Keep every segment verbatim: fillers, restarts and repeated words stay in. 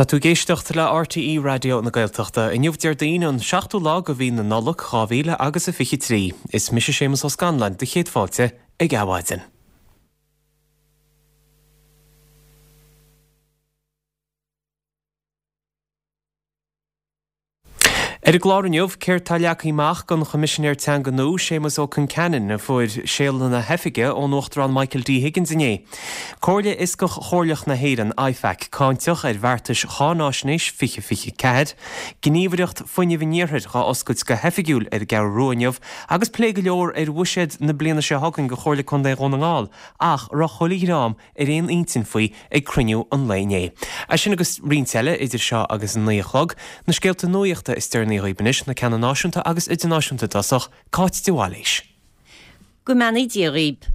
Tá tú ag éisteacht le RTÉ Raidió na Gaeltachta. Inniu Déardaoin an seachtú lá de mhí na Nollag dhá mhíle agus a fiche trí. Is mise Séamus Ó Scanláin do chéad fáilte ag Adhmhaidin. Ar an gclár inniu, céard tá leagtha amach don Choimisinéir Teanga nua, Séamus Ó Conceanainn, a fuair séala na hoifige ón Uachtarán Michael D. Higgins inné. Comhairle Fhioscach Chomhairleach na hÉireann, IFAC, cáinteach ar bheartais cháináisnéis fiche fiche ceathair, Gníomhaireacht Fuinnimh an Iarthair dhá oscailt go hoifigiúil ar an gCeathrú Rua inniu agus plé go leor ar bhuiséad na bliana seo chugainn do Chomhairle Contae Dhún na nGall ach a raibh chuile dhream ar aon intinn faoi ag cruinniú an lae inné. É sin agus roinnt eile idir seo agus a naoi a chlog, na scéalta nuachta is deireanaí dhaoibh anois, na ceanna náisiúnta agus idirnáisiúnta i dtosach, Cáit de Bhailís. Go mbeannaí Dia dhaoib.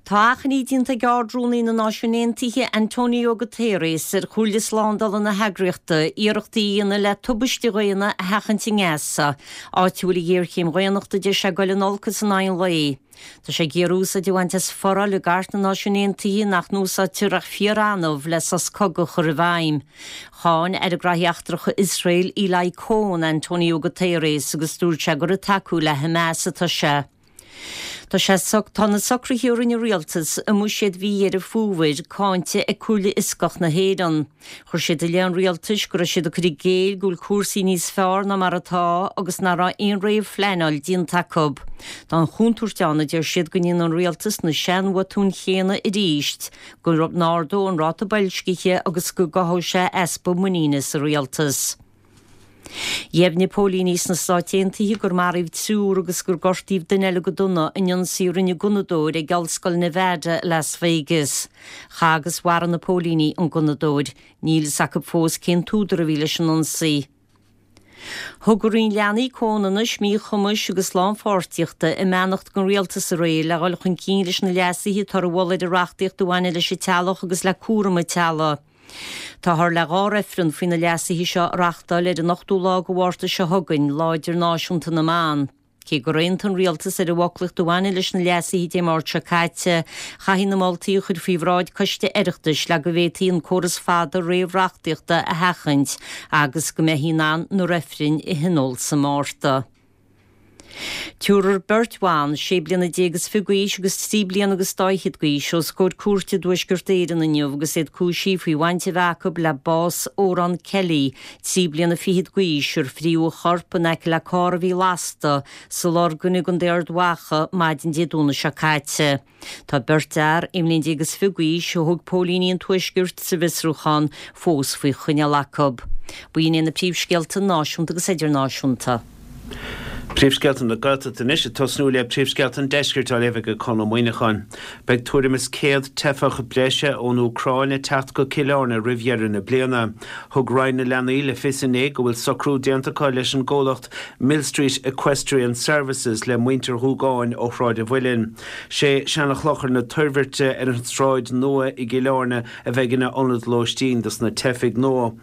Tá achainí déanta ag Ard-Rúnaí na Náisiún Aontaithe, Antonio Guterres, ar Chomhairle Slándála na heagraíochta iarrachtaí a dhéanamh le tubaiste dhaonna a sheachaint i nGaza, áit a bhfuil an ghéarchéim dhaonnachta deir sé ag dul in olcas in aghaidh an lae. Tá sé ag iarraidh úsáid a bhaint as foráil i gCairt na Náisiún Aontaithe nach n-úsáidtear ach fíor-annamh le sos cogaidh a chur i bhfeidhm. Cháin Aire Graithí Eachtracha Iosrael, Eli Cohen, Antonio Guterres agus dúirt sé gur ag tacú le Hamas atá sé. Tá sé Tá na socruithe a rinne an rialtas i mbuiséad mhí Dheireadh Fómhair cáinte ag Comhairle Fhioscach na hÉireann. Chuir siad i leith an rialtais go raibh siad ag cur i gcéill go bhfuil cúrsaí níos fearr ná mar atá agus nach raibh aon réamhphleanáil déanta acu. Tá an chontúirt ann, a deir siad, go ndéanfaidh an rialtas na seanbhotúin chéanna arís, go n-ardóidh an ráta boilscithe agus go gcothóidh sé easpa muiníne sa rialtas. Dheimhnigh póilíní sna Stáit Aontaithe gur maraíodh triúr agus gur gortaíodh duine eile go dona in ionsaí a rinne gunnadóir ag Ollscoil Nevada i Las Vegas. Chaith agus mharaigh na póilíní an gunnadóir. Níl fhios acu fós cén t-údar a bhí leis an ionsaí. Thug an Roinn Leanaí, Comhionannais, Míchumais agus Lánpháirtíochta a mbeannacht don Rialtas aréir le dhul chun cinn leis na leasuithe atá á mholadh ar an reachtaíocht a bhaineann leis an teaghlach agus le cúram an teaghlaigh. Táthar le dhá reifreann faoi na leasuithe seo a reachtáil ar an ochtú lá de Mhárta seo chugainn, Lá Idirnáisiúnta na mBan. Cé gur aontaigh an Rialtas ar an bhfoclaíocht a bhaineann leis na leasuithe Dé Máirt seo caite, chaithfí na moltaí a chur faoi bhráid coiste Oireachtais le go bhféadfaí an córas fada réamhreachtaíochta a sheachaint agus go mbeifí in ann na reifrinn a thionól sa Mhárta. Tabharfar beirt bhan, sé bliana déag is fiche d'aois agus trí bliana agus dá fhichead d'aois, os comhair cúirte i dTuaisceart Éireann inniu agus iad cúisithe faoi bhaint a bheith acu le bás Odhrán Kelly, trí bliana fichead d'aois, ar fríodh a chorp in aice le carr a bhí lasta sa Lorgain i gContae Ard Mhacha maidin Dé Domhnaigh seo caite. Tá beirt fhear, aon bhliain déag is fiche d'aois, a thóg póilíní an Tuaiscirt sa bhfiosrúchán, fós faoi choinneáil acu. B'in iad na príomhscéalta náisiúnta agus idirnáisiúnta. Príomhscéalta na Gaeltachta anois, ag tosnú le príomhscéalta an Deiscirt á léamh ag Conn Ó Muíneacháin. Beidh tuairim is céad teifeach breise ón Úcráin ag teacht go Cill Airne roimh dheireadh na bliana. Thug Roinn na Leanaí le fios inné go bhfuil socrú déanta acu leis an gcomhlacht Millstreet Equestrian Services le muintir Dhúgáin ó Shráid an Mhuilinn. Sé Seanchlochar na Toirbhirte ar an tSráid Nua i gCill Airne a bheidh ina ionad lóistín dos na teifigh nua.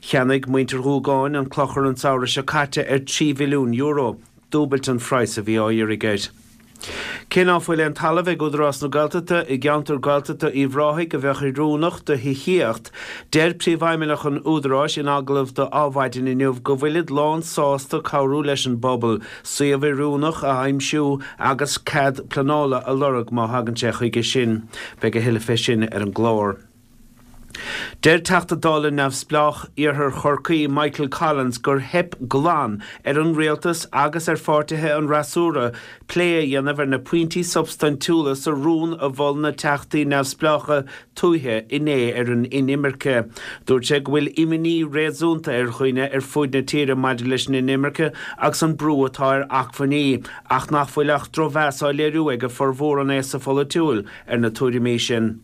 Cheannaigh muintir Dhúgáin an clochar an samhradh seo caite ar trí mhilliún euro, dúbailt an phraghas a bhí á iarraidh air. Cé ná fuil aon talamh ag Údarás na Gaeltachta i gceantar Gaeltachta Uíbh Ráthaigh a bheadh oiriúnach do thithíocht, deir Príomhfheidhmeannach an Údaráis in agallamh do Adhmhaidin inniu go bhfuilid lán sásta cabhrú leis an bpobal suíomh oiriúnach a aimsiú agus cead pleanála a lorg má thagann sé chuige sin. Beidh a thuilleadh fé sin ar an gclár. Deir Teachta Dála neamhspleách Iarthar Chorcaí Michael Collins gur theip glan ar an rialtas agus ar pháirtithe an fhreasúra plé a dhéanamh ar na pointí substaintiúla sa rún a mhol na teachtaí neamhspleácha tuaithe inné ar an inimirce. Dúirt sé go bhfuil imní réasúnta ar dhaoine ar fuaid na tíre maidir leis an inimirce agus an brú atá ar acmhainní ach nach bhfuil ach drochmheas á léiriú ag formhór an aosa pholaitiúil ar na tuairimí sin.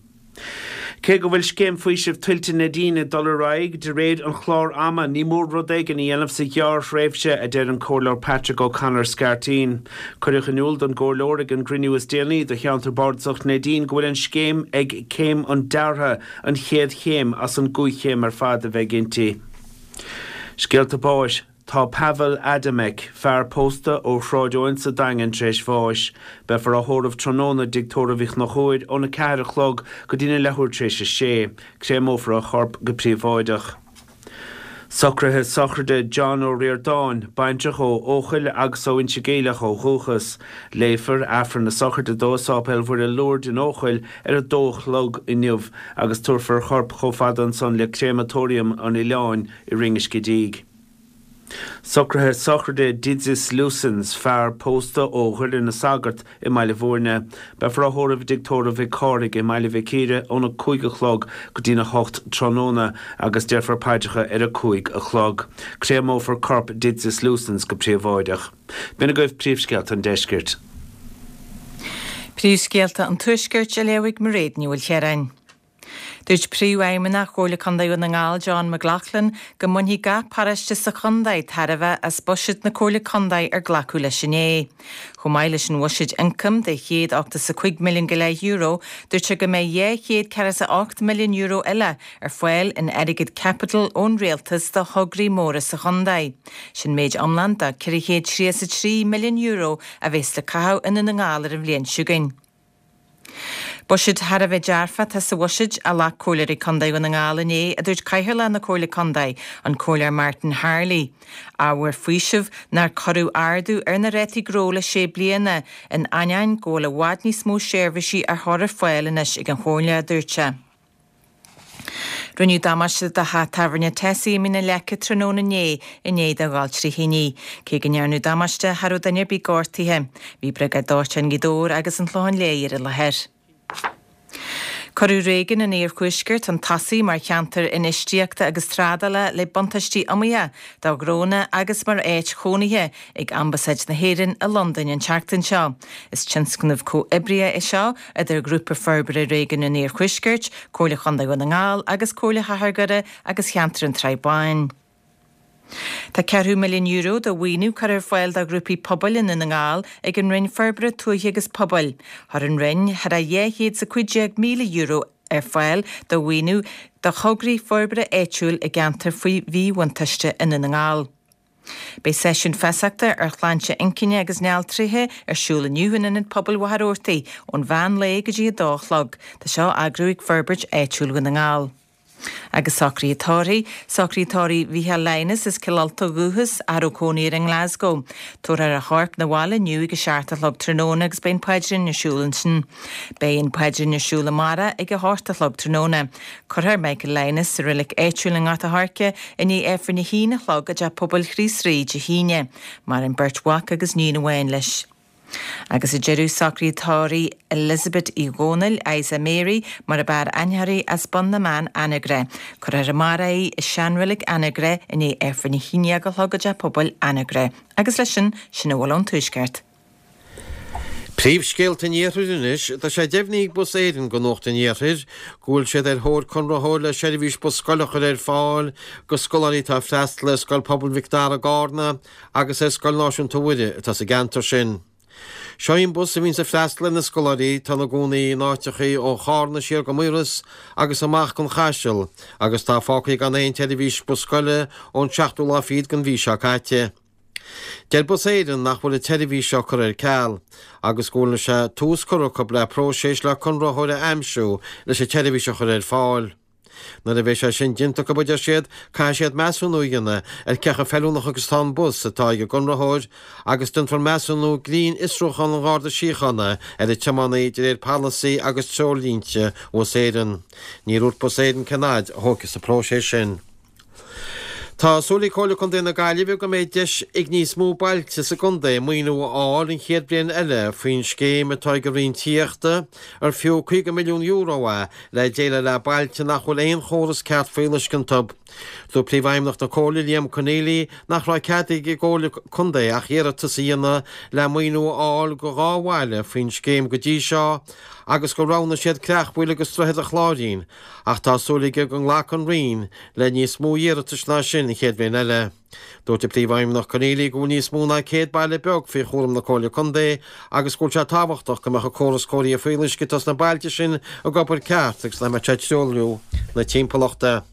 Cé go bhfuil Scéim Faoisimh Tuilte Neidín ag dul ar aghaidh de réir an chláir ama, ní mór rud éigin a dhéanamh sa ghearrthréimhse, a deir an Comhairleoir Patrick O'Connor Scairtín. Cuireadh in iúl don gComhairleoir ag an gcruinniú is déanaí do Cheantar Bardasach Neidín go bhfuil an scéim ag céim an deartha, an chéad chéim as an gcúig chéim ar fad a bheidh inti. Scéalta báis. Tá Pavel Adamek, fear pósta ó Shráid Eoin sa Daingean tar éis bháis. Beifear á thórramh tráthnóna i dTigh Tórraimh Uí Chonchúir óna ceathair a chlog go dtína leathuair tar éis a sé. Créamófar a chorp go príobháideach. Socruithe sochraide John Ó Ríordáin, baintreach ó Eochaill agus ó Inse Geimhleach ó dhúchas. Léifear Aifreann na sochraide dó i Sáipéal Mhuire Lourdes in Eochaill ar a dó a chlog inniu agus tabharfar a chorp chomh fada ansan le Créamatóiriam an Oileáin i Rinn Uisce Díg. Socruithe sochraide Didzis Lusins, fear pósta ó Dhoire na Sagart i mBaile Bhúirne. Beifear á thórramh i dTigh Tórraimh Mhic Cárthaigh i mBaile Mhic Íre óna cúig a chlog go dtína hocht tráthnóna agus déarfar paidreacha ar a cúig a chlog. Créamófar corp Didzis Lusins go príobháideach. B'in agaibh príomhscéalta an deiscirt. Príomhscéalta an Tuaiscirt á léamh ag Mairéad Ní Mhaoilchiaráin. Dúirt Príomhfheidhmeannach Chomhairle Contae Dhún na nGall John McLaughlin go mbainfidh gach paróiste sa chontae tairbhe as buiséad na Comhairle Contae ar glacadh leis inné. Chomh maith leis an bhuiséad ioncaim de chéad ochtó is a cúig milliún go leith euro, dúirt sé go mbeidh dhá chéad ceathracha is a hocht milliún euro eile ar fáil in airgead caipitil ón rialtas do thograí móra sa chontae. Sin méid iomlán de ceithre chéad tríocha is a trí milliún euro a bheas le caitheamh i nDún na nGall ar an bhliain seo chugainn. Buiséad thar a bheith dearfach atá sa bhuiséad a ghlac Comhairleoirí Contae Dhún na nGall inné, a dúirt Cathaoirleach na Comhairle Contae, an Comhairleoir Martin Harley. Ábhar faoisimh nár cuireadh ardú ar na rátaí gnó le sé bliana, in ainneoin go bhfuil i bhfad níos mó seirbhísí á chur ar fáil anois ag an Chomhairle, a dúirt sé. Rinneadh damáiste do theach tábhairne Tessie i Mín na Leice tráthnóna inné i ndiaidh dó dhul trí thine. Cé go ndearnadh damáiste, cha raibh duine ar bith gortaithe. Bhí Briogáid Dóiteáin Ghaoth Dobhair agus an Clochán Léith ar an láthair. Cuireadh réigiún an Iarthuaiscirt chun tosaigh mar cheantar infheistíochta agus trádála le buntáistí iomaíocha do ghnónna agus mar áit chónaithe ag Ambasáid na hÉireann i Londain an tseachtain seo. Is tionscnamh comhoibrithe é seo idir Grúpa Forbartha Réigiún an Iarthuaiscirt, Comhairle Chontae Dhún na nGall agus Comhairle Chathair Dhoire agus Cheantar an tSrath Báin. Tá ceathrú milliún euro de mhaoiniú curtha ar fáil do ghrúpaí pobail i nDún na nGall ag an Roinn Forbartha Tuaithe agus Pobail. Chuir an Roinn thar a dhá chéad is a cúig déag míle euro ar fáil do mhaoiniú do thograí forbartha áitiúil i gceantar faoi mhíbhuntáiste i nDún na nGall. Beidh seisiún feasachta ar shláinte inchinne agus néaltríthe ar siúl inniu in Ionad Pobail Mhachaire Rabhartaigh ón mheán lae go dtí a dó a chlog. Tá seo á eagrú ag Forbairt Áitiúil Dhún na nGall. Agus socruithe tórraimh, socruithe tórraimh Mhicheál Lynas as Cill Ulta ó dhúchas, a raibh cónaí air i nGlasgow. Tabharfar a chorp 'na bhaile inniu ag a seacht a chlog tráthnóna agus beidh an paidrín ar siúl ansin. Beidh an paidrín ar siúl amárach ag a hocht a chlog tráthnóna. Cuirfear Michael Lynas sa reilig áitiúil i nGort a' Choirce i ndiaidh Aifreann a haon a chlog i dTeach Pobail Chríost Rí Dé hAoine. Maireann beirt mhac agus níon amháin leis. Agus ag deireadh socruithe tórraimh Elizabeth Uí Dhónaill, Isa Mary, mar ab fhearr aithne uirthi as Bun na mBan Anagaire. Cuirfear amárach í i seanreilig Anagaire i ndiaidh Aifreann a haon déag a chlog i dTeach Pobail Anagaire. Agus leis sin, sin a bhfuil ón Tuaisceart. Príomhscéalta an Iarthair anois, tá sé deimhnithe ag Bus Éireann do Nuacht an Iarthair go bhfuil siad ar thóir conraitheoir le seirbhís bus scoile a chur ar fáil do scoláirí atá ag freastal ar Scoil Pobail Mhic Dara i gCarna agus ar Scoil Náisiúnta Mhuire atá sa gceantar sin. Seo í an bus a bhíonns ag freastal ar na scoláirí atá ina gcónaí in áiteachaí ó Chárna siar go Maoras agus amach gon Chaiseal agus atá fágtha gan aon tseirbhís bus scoile ón seachtú lá fichead den mhí seo caite. Deir Bus Éireann nach bhfuil an tseirbhís seo curtha ar ceal agus go bhfuil sé tús curtha acu le próiseas le conraitheoir a aimsiú leis an tseirbhís a chur ar fáil. Nuair a bheidh sé sin déanta acu, a deir siad, caithfidh siad measúnú a dhéanamh ar cé chomh feiliúnach agus atá an bus atá ag an gconraitheoir agus déanfar measúnú grinnfhiosrúchán an Gharda Síochána ar an tiománaí de réir polasaí agus treoirlínte Bhus Éireann. Níor dhúirt Bus Éireann cén fhad a thógfaidh an próiseas sin. Tá súil ag Comhairle Contae na Gaillimhe go mbeidh deis ag níos mó bailte sa gcontae maoiniú a fháil an chéad bhliain eile faoin scéim atá ag an Roinn Tithíochta, ar fiú caoga milliún euro é, le déileáil le bailte nach bhfuil aon chóras ceart fuíolluisce iontu. Dúirt Príomhfheidhmeannach na Comhairle, Liam Conneely, nach raibh cead ag an gComhairle Contae ach iarratas a dhéanamh le maoiniú a fháil do dhá bhaile faoin scéim go dtí seo agus gur roghnaigh siad Creachmhaoil agus Droichead an Chláirín ach tá súil aige go nglacfaidh an Roinn le níos mó iarratais ná sin an chéad bhliain eile. Dúirt an Príomhfheidhmeannach Conneely go bhfuil níos mó ná céad baile beag faoi chúram na Comhairle Contae agus go bhfuil sé tábhachtach go mbeadh an córas cóirithe fuíolluisce atá sna bailte sin ag obair ceart agus nach mbeadh sé ag truailliú na timpeallachta.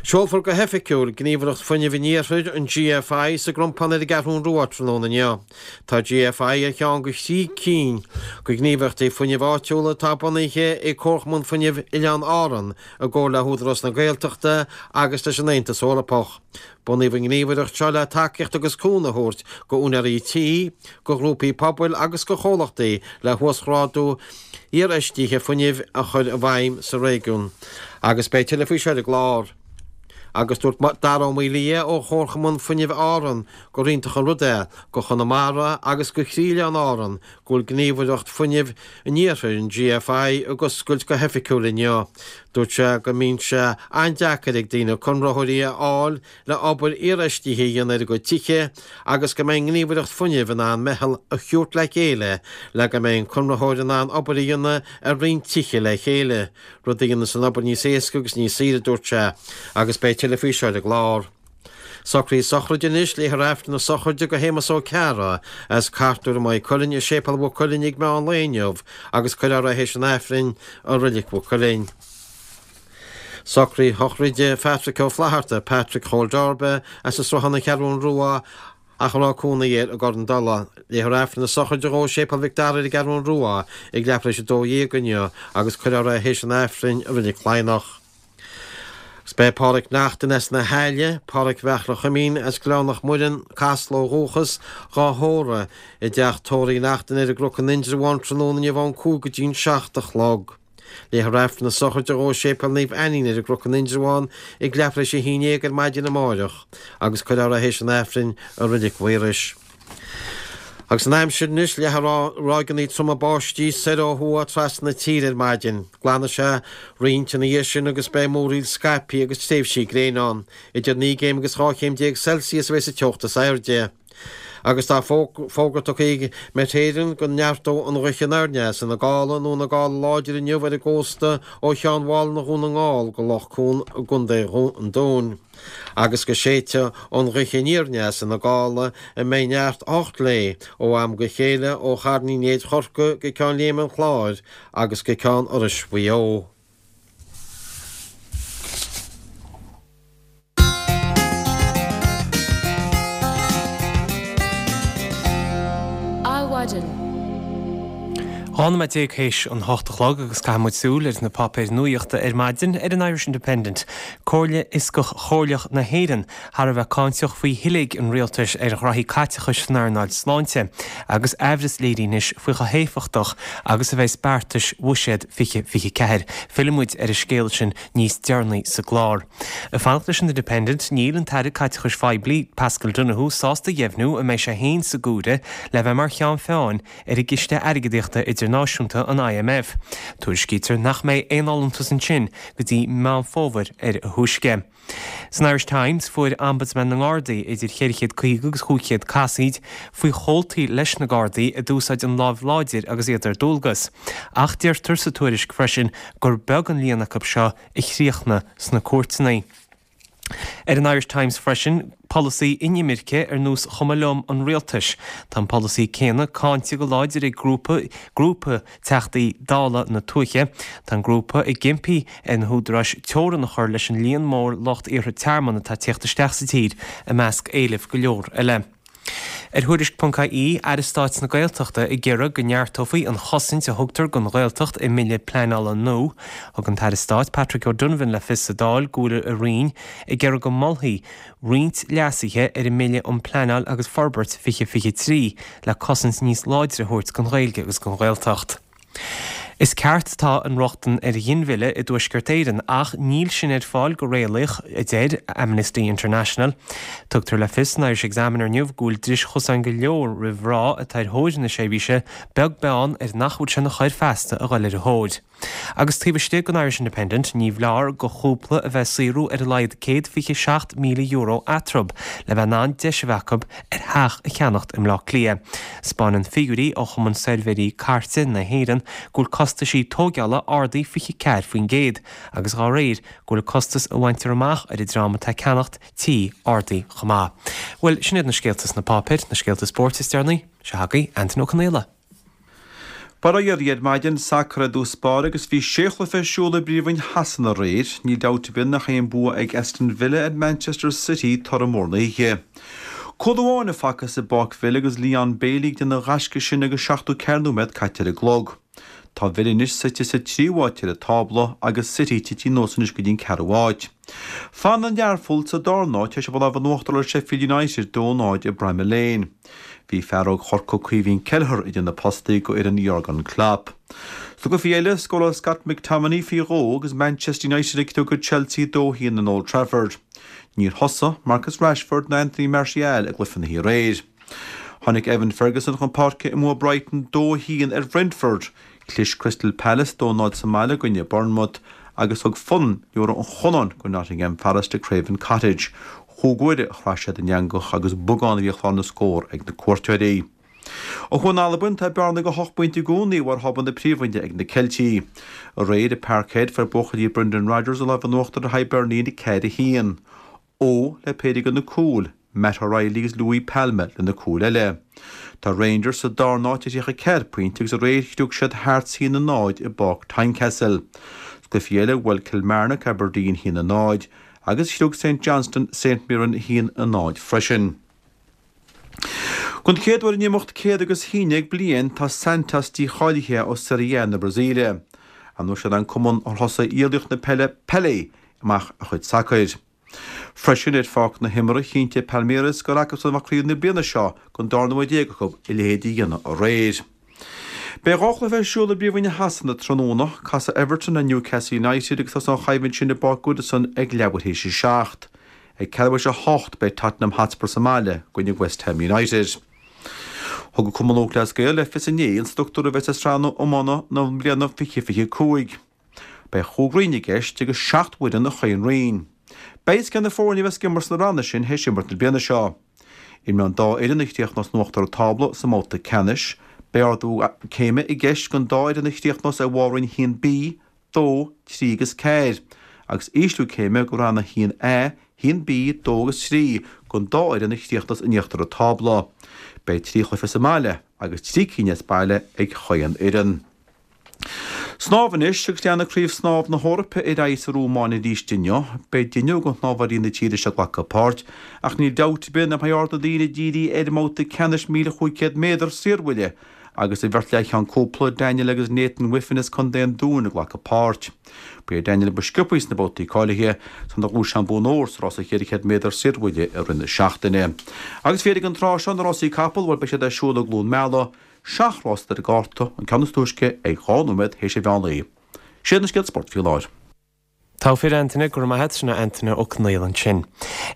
Seolfar go hoifigiúil Gníomhaireacht Fuinnimh an Iarthair, an GFI, sa gCrompán ar an gCeathrú Rua tráthnóna inniu. Tá GFI ar cheann de thrí cinn de ghníomhaireachtaí fuinnimh áitiúla atá bunaithe ag Comharchumann Fuinnimh Oileáin Árann i gcomhar le hÚdarás na Gaeltachta agus leis an Aontas Eorpach. Bunaíodh an ghníomhaireacht seo le tacaíocht agus cúnamh a thabhairt go úinéirí tí, go ghrúpaí pobail agus go chomhlachtaí le huasghrádú iarfheistithe fuinnimh a chur i bhfeidhm sa réigiún. Agus beidh tuilleadh faoi seo ar an gclár. Agus dúirt Dara Ó Maolaodha ó Chomharchumann Fuinnimh Árann gur iontach an rud é go Chonamara agus go chroí-Oileáin Árann go bhfuil Gníomhaireacht Fuinnimh an Iarthair, an GFI, ag oscailt go hoifigiúil inniu. Dúirt sé go mbíonn sé an-deacair ag daoine conraitheoirí a fháil le obair iarfheistithe a dhéanamh ar a gcuid tithe agus go mbeidh an Ghníomhaireacht Fuinnimh in ann meitheal a thabhairt le chéile le go mbeidh an conraitheoir in ann obair a dhéanamh ar roinnt tithe le chéile. Rud a dhéanas an obair níos éasca agus níos saoire, a dúirt sé, agus beidh tuilleadh faoi seo ar an gclár. Socruithe sochraide anois, Léifear Aifreann na sochraide do Shéamus Ó Cearra as Cartúr i Maigh Cuilinn i Séipéal Mhaigh Cuilinn ag meán lae inniu agus cuirfear é théis an Aifrinn i Reilig Mhaigh Cuilinn. Socruithe sochraide Phatrick Ó Flatharta, Patrick Chóil Darbe, as an Sruthán An Cheathrún Rua, ach a raibh cónaí air i gCorr an Dola. Léifear Aifreann na sochraide dhó i Séipéal Mhic Dara ar an gCeathrún Rua ag leathuair tar éis a dó dhéag inniu agus cuirfear é théis an Aifrinn i Reilig Cladhnach. Agus beidh Páraic Neachtain as na hAille, Páraic Bheachla Chuimín as Gleann Loch Muireann, Casla ó dhúchas, dhá thórramh i dteach tórraimh Uí Neachtain ar an gCnoc in Indreabhán tráthnóna inniu ón cúig go dtí'n seacht a chlog. Léifear Aifreann na sochraide dhó i Séipéal Naomh Ainnín ar an gCnoc in Indreabhán ag leathuair tar éis a haon déag ar maidin amáireach agus cuirfear é théis an Aifrinn i Reilig Mhaorais. Agus an aimsir anois, leathfaidh ráigeanna troma báistí soir ó thuaidh trasna na tíre ar maidin. Glanfaidh sé roinnt ina dhiaidh sin agus beidh múraíl scaipthe agus tréimhsí gréine ann. Idir naoi gcéim agus dhá chéim déag Celsius a bheidh sa teocht is airde. Agus tá fógra tugtha ag Met Éireann go neartóidh an ghaoth anoir aneas ina gála nó ina gála láidir inniu ar an gcósta ó Cheann Mhálanna Dhún na nGall go Loch Cuan i gContae an Dúin agus go séidfidh an ghaoth aniar aneas ina gála a mbeidh neart ocht léi ó am go chéile ó Charn Uí Néid Chorcaí go Ceann Léime an Chláir agus go Ceann Iorrais Mhaigh Eo. Adhmhaidin. Dhá nóiméad déag théis an hocht a chlog agus caithfidh muid súil ar na páipéir nuaíochta ar maidin ar an Irish Independent. Comhairle Fhioscach Chomhairleach na hÉireann thar a bheith cáinteach faoi shiléig an rialtais ar ghraithí caiteachais san earnáil sláinte agus aimhreas léirithe anois faoi chomh héifeachtach agus a bheas beartais Bhuiséad fiche fiche ceathair. Fillfidh muid ar an scéal sin níos deireanaí sa gclár. Ag fanacht leis an Independent, níl an tAire Caiteachais Phoiblí, Paschal Donohoe, sásta a dheimhniú an mbeidh sé féin sa gcomhairle le bheith mar cheann feadhain ar an gCiste Airgeadaíochta Idirnáisiúnta, an IMF. Tuairiscítear nach mbeidh aon fholúntas ansin go dtí Meán Fómhair ar a thúisce. San Irish Times, fuair Ombudsman na nGardaí idir cheithre chéad caoga agus chúig chéad casaoid faoi chomhaltaí leis na Gardaí a d'úsáid an lámh láidir agus iad ar dualgas. Ach deirtear sa tuairisc freisin gur beag an líon acu seo a chríochnaigh sna cúirteanna. Ar an Irish Times freisin, polasaí inimirce ar nós chuma liom an rialtais. Tá an polasaí céanna cáinte go láidir ag grúpa grúpa Teachtaí Dála na tuaithe. Tá an grúpa ag impí ar na húdaráis teorann a chur leis an líon mór lucht iarrtha tearmainn atá ag tíocht isteach sa tír, i measc éilimh go leor eile. Ar Thuairisc ponc ie, Aire Stáit na Gaeltachta ag iarraidh go neartófaí an chosaint a thugtar don Ghaeltacht i mbille pleanála nua. Thug an tAire Stáit Patrick O'Donovan le fios sa Dáil go bhfuil a Roinn ag iarraidh go molfaí roinnt leasuithe ar an mBille um Pleanáil agus Forbairt fiche fiche trí le cosaint níos láidre a thabhairt don Ghaeilge agus don Ghaeltacht. Is ceart atá an rochtain ar ghinmhilleadh i dTuaisceart Éireann ach níl sin ar fáil go réalaíoch, a deir Amnesty International. Tugtar le fios san Irish Examiner inniu go bhfuil dris chosáin go leor roimh mhná atá ar thóir na seirbhíse, beag beann ar nach bhfuil sé ina choir feasta a dhul ar a thóir. Agus taobh istigh den Irish Independent, ní foláir do chúpla a bheith ag saothrú ar a laghad céad fiche seacht míle euro eatarthu le bheith in ann deis a bheith acu ar theach a cheannacht i mBleá Cliath. 'Spáineann figiúirí ó Chumann Suirbhéirí Cairte na hÉireann go bhfuil costaisí tóigeála ardaithe fiche ceathair faoin gcéad agus dhá réir go bhfuil costas a bhaintear amach ar an dream atá ag ceannacht tí ardaithe chomh maith. Bhuel, sin iad na scéalta sna páipéir, na scéalta spóirt is deireanaí. Seo chugaibh Antain Ó Conaola. Bail ó Dhia oraibh ar maidin, sacar i dtús báire agus bhí sé chluiche ar siúl i bPríomhroinn Shasana aréir. Níl dabht ar bith nach é an bua ag Aston Villa ar Manchester City toradh mór na hoíche. Cúl amháin a facthas i bPáirc Villa agus Leon Bailey ag déanamh an ghaisce sin agus seachtó ceathair nóiméad caite ar an gclog. Tá Villa anois suite sa tríú háit ar an tábla agus City tite anuas anois go dtí an ceathrú háit. Fanann Learpholl sa darna háit tar éis a bheith lámh in uachtar ar Sheffield United dó náid i Bramall Lane. Bhí fear óg Chorcaí Caoimhín Kelleher idir na postaí go fhoireann Jurgen Klopp. Sna cluichí eile, scóráil Scott McTominay faoi dhó agus Manchester United ag criogadh Chelsea dó haon in Old Trafford. Níor thosaigh Marcus Rashford ná Anthony Martial i gcluiche na hoíche aréir. Tháinig Evan Ferguson chun páirce i mbua Brighton dó haon ar Brentford, Chlis Crystal Palace dó náid sa mbaile i gcoinne Bournemouth agus thug Fulham liathróid an chonnáin go Nottingham Forest ag Craven Cottage. Chúig uaire a chraith siad an eangach agus beagán a bhí ar chlár na scór ag na cuairteoirí. Ó thuaidh in Albain, tá bearna de hocht bpointe i gcónaí ar thábla na Príomhroinne ag na Ceiltigh. Aréir i Parkhead, fuair buachaillí Brendan Rodgers an lámh in uachtar ar Hibernian ceathair a haon. Ó le péire de na cúil, Matt O'Riley agus Luis Palma le na cúil eile. Tá Rangers sa darna háit ar thríocha ceathair pointe agus aréir chriog siad Hearts a haon a náid i bPáirc Tynecastle. Sa gcluiche eile, bhuail Kilmarnock Aberdeen a haon a náid agus chriog St Johnstone St Mirren a haon a náid freisin. Don chéad uair in imeacht céad agus haon déag bliain tá Santos dícháilithe ó Serie A na Brasaíle. An uair seo an cumann ar thosaigh laoch na peile Pelé amach a chuid sacair. Freisin ar pháirc na himeartha chinntigh Palmeiras gur acusan a bheadh craobh na bliana seo don darna huair déag acu a leithéid a dhéanamh aréir. Beidh dhá chluiche ar siúl i bPríomhroinn Shasana tráthnóna, casfaidh Everton le Newcastle United agus tosóidh an choimhlint sin i bPáirc Goodison ag leathuair théis a seacht. Ag ceathrú théis a hocht beidh Tottenham Hotspur sa mbaile i gcoinne West Ham United. Thug an Cumann Lúthchleas Gael le fios inné an struchtúr a bheas ar sraitheanna iomána na bliana fiche fiche cúig. Beidh chúig roinn i gceist agus seacht bhfoireann i chaon roinn. Beidh cé na foirne a bheas ag imirt sna ranna sin théis imirt na bliana seo. Imreoidh an dá fhoireann a chríochnós in uachtar an tábla sa mbabhta ceannais. Beidh ardú céime i gceist don dá fhoireann a chríochnós ar bharr Roinn a haon B, dó, trí agus ceathair, agus ísliú céime go Rann a haon A, haon B, dó agus trí don dá fhoireann a chríochnós in íochtar an tábla. Beidh trí chluiche sa mbaile agus trí cinn as baile ag chaon fhoireann. Snámh anois agus leanfaidh Craobh Snámh na hEorpa ar aghaidh sa Rómáin arís inniu. Beidh deichniúr de shnámhóirí na tíre seo ag glacadh páirt, ach níl dabht ar bith nach mbeidh aird na ndaoine dírithe ar an mbabhta ceannais míle chúig chéad méadar saorbhuille agus an bheirt leathcheann cúpla, Daniel agus Nathan Wiffen as Contae an Dúin ag glacadh páirt. Ba é Daniel ba sciobthaí sna babhtaí cáilithe san a ghnóthaigh sé an bonn óir sa rása cheithre chéad méadar saorbhuille i rith na seachtaine. Agus faoi dheireadh an tráth seo na rásaí capall, bhuel beidh siad ar siúl i gCluain Meala, Seacht rás ar an gcárta, an ceann is túisce ag dhá nóiméad théis an mheán lae. Sin iad na scéalta spóirt faoi láthair. Togha fir Antaine, go raibh maith a't, sin é Antaine Ó Conghaile ansin.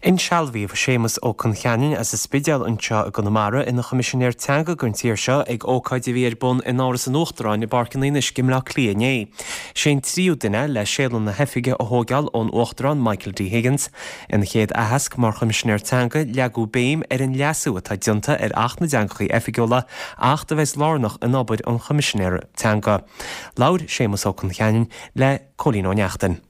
Insealbhaíodh Séamus Ó Concheanainn as an Spidéal anseo i gConamara ina Choimisinéir Teanga don tír seo ag ócáid a bhí ar bun in Áras an Uachtaráin i bPáirc an Fhionnuisce i mBleá Cliath inné. Sé an tríú duine le séala na hoifige a thógáil ón Uachtarán Michael D Higgins. Ina chéad aitheasc mar Choimisinéir Teanga leagadh béim ar an leasú atá déanta ar Acht na dTeangacha Oifigiúla, acht a bheas lárnach in obair an Choimisinéara Teanga. Labhair Séamus Ó Concheanainn le Cóilín Ó Neachtain.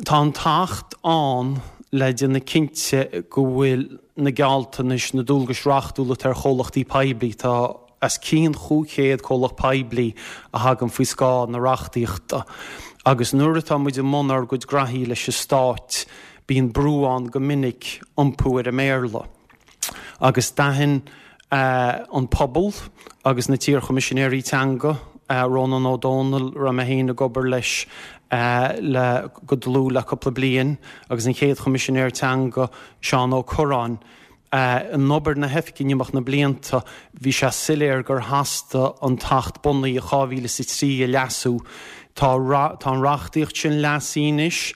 Tá an tAcht ann le déanamh cinnte go bhfuil na gealltanais, na dualgais reachtúla atá ar chomhlachtaí poiblí, tá os cionn chúig chéad comhlacht poiblí a thagann faoi scáth na reachtaíochta agus nuair atá muid i mbun ár gcuid graithí leis an Stát bíonn brú ann go minic iompú ar an mBéarla. Agus d'aithin an pobal agus na t-iarChoimisinéirí Teanga, Rónán Ó Domhnaill, a raibh mé féin ag obair leis le go dlúth le cúpla bliain, agus an chéad Choimisinéir Teanga, Seán Ó Cuirreáin. In obair na hoifige in imeacht na blianta, bhí sé soiléir gur theastaigh an tAcht bunaithe dhá mhíle is a trí a leasú. Tá tá an reachtaíocht sin leasaithe anois.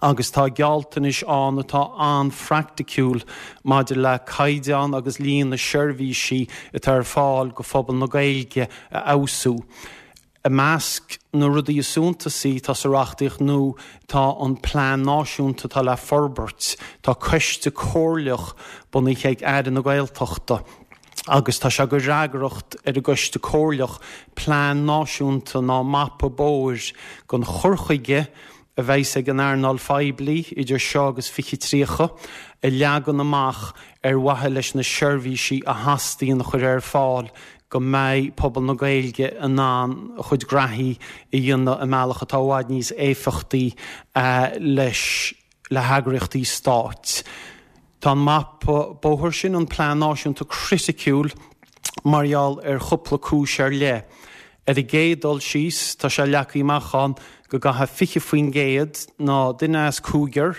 agus tá gealltanais ann atá an-phraiticiúil maidir le caighdeán agus líon na seirbhísí atá ar fáil go phobal na Gaeilge a fheabhsú. I measc na rudaí is suntasaí atá sa reachtaíocht nua tá an plean náisiúnta atá le forbairt, tá coiste comhairleach bunaithe ag Aire na Gaeltachta agus tá sé de fhreagracht ar an gcoiste comhairleach plean náisiúnta ná mapa bóthair don chur chuige a bheas ag an earnáil phoiblí idir seo agus fiche tríocha a leagan amach ar mhaithe leis na seirbhísí a theastaíonn a chur ar fáil go mbeidh pobal na Gaeilge in ann a chuid graithí a dhéanamh i mbealach atá i bhfad níos éifeachtaí leis le heagraíochtaí stáit. Tá an mapa bóthair sin, an Plean Náisiúnta, criticiúil mar gheall ar chúpla cúis ar leith. Ar an gcéad dul síos, tá sé leagtha amach ann go gcaithfidh fiche faoin gcéad, ná duine as cúigear,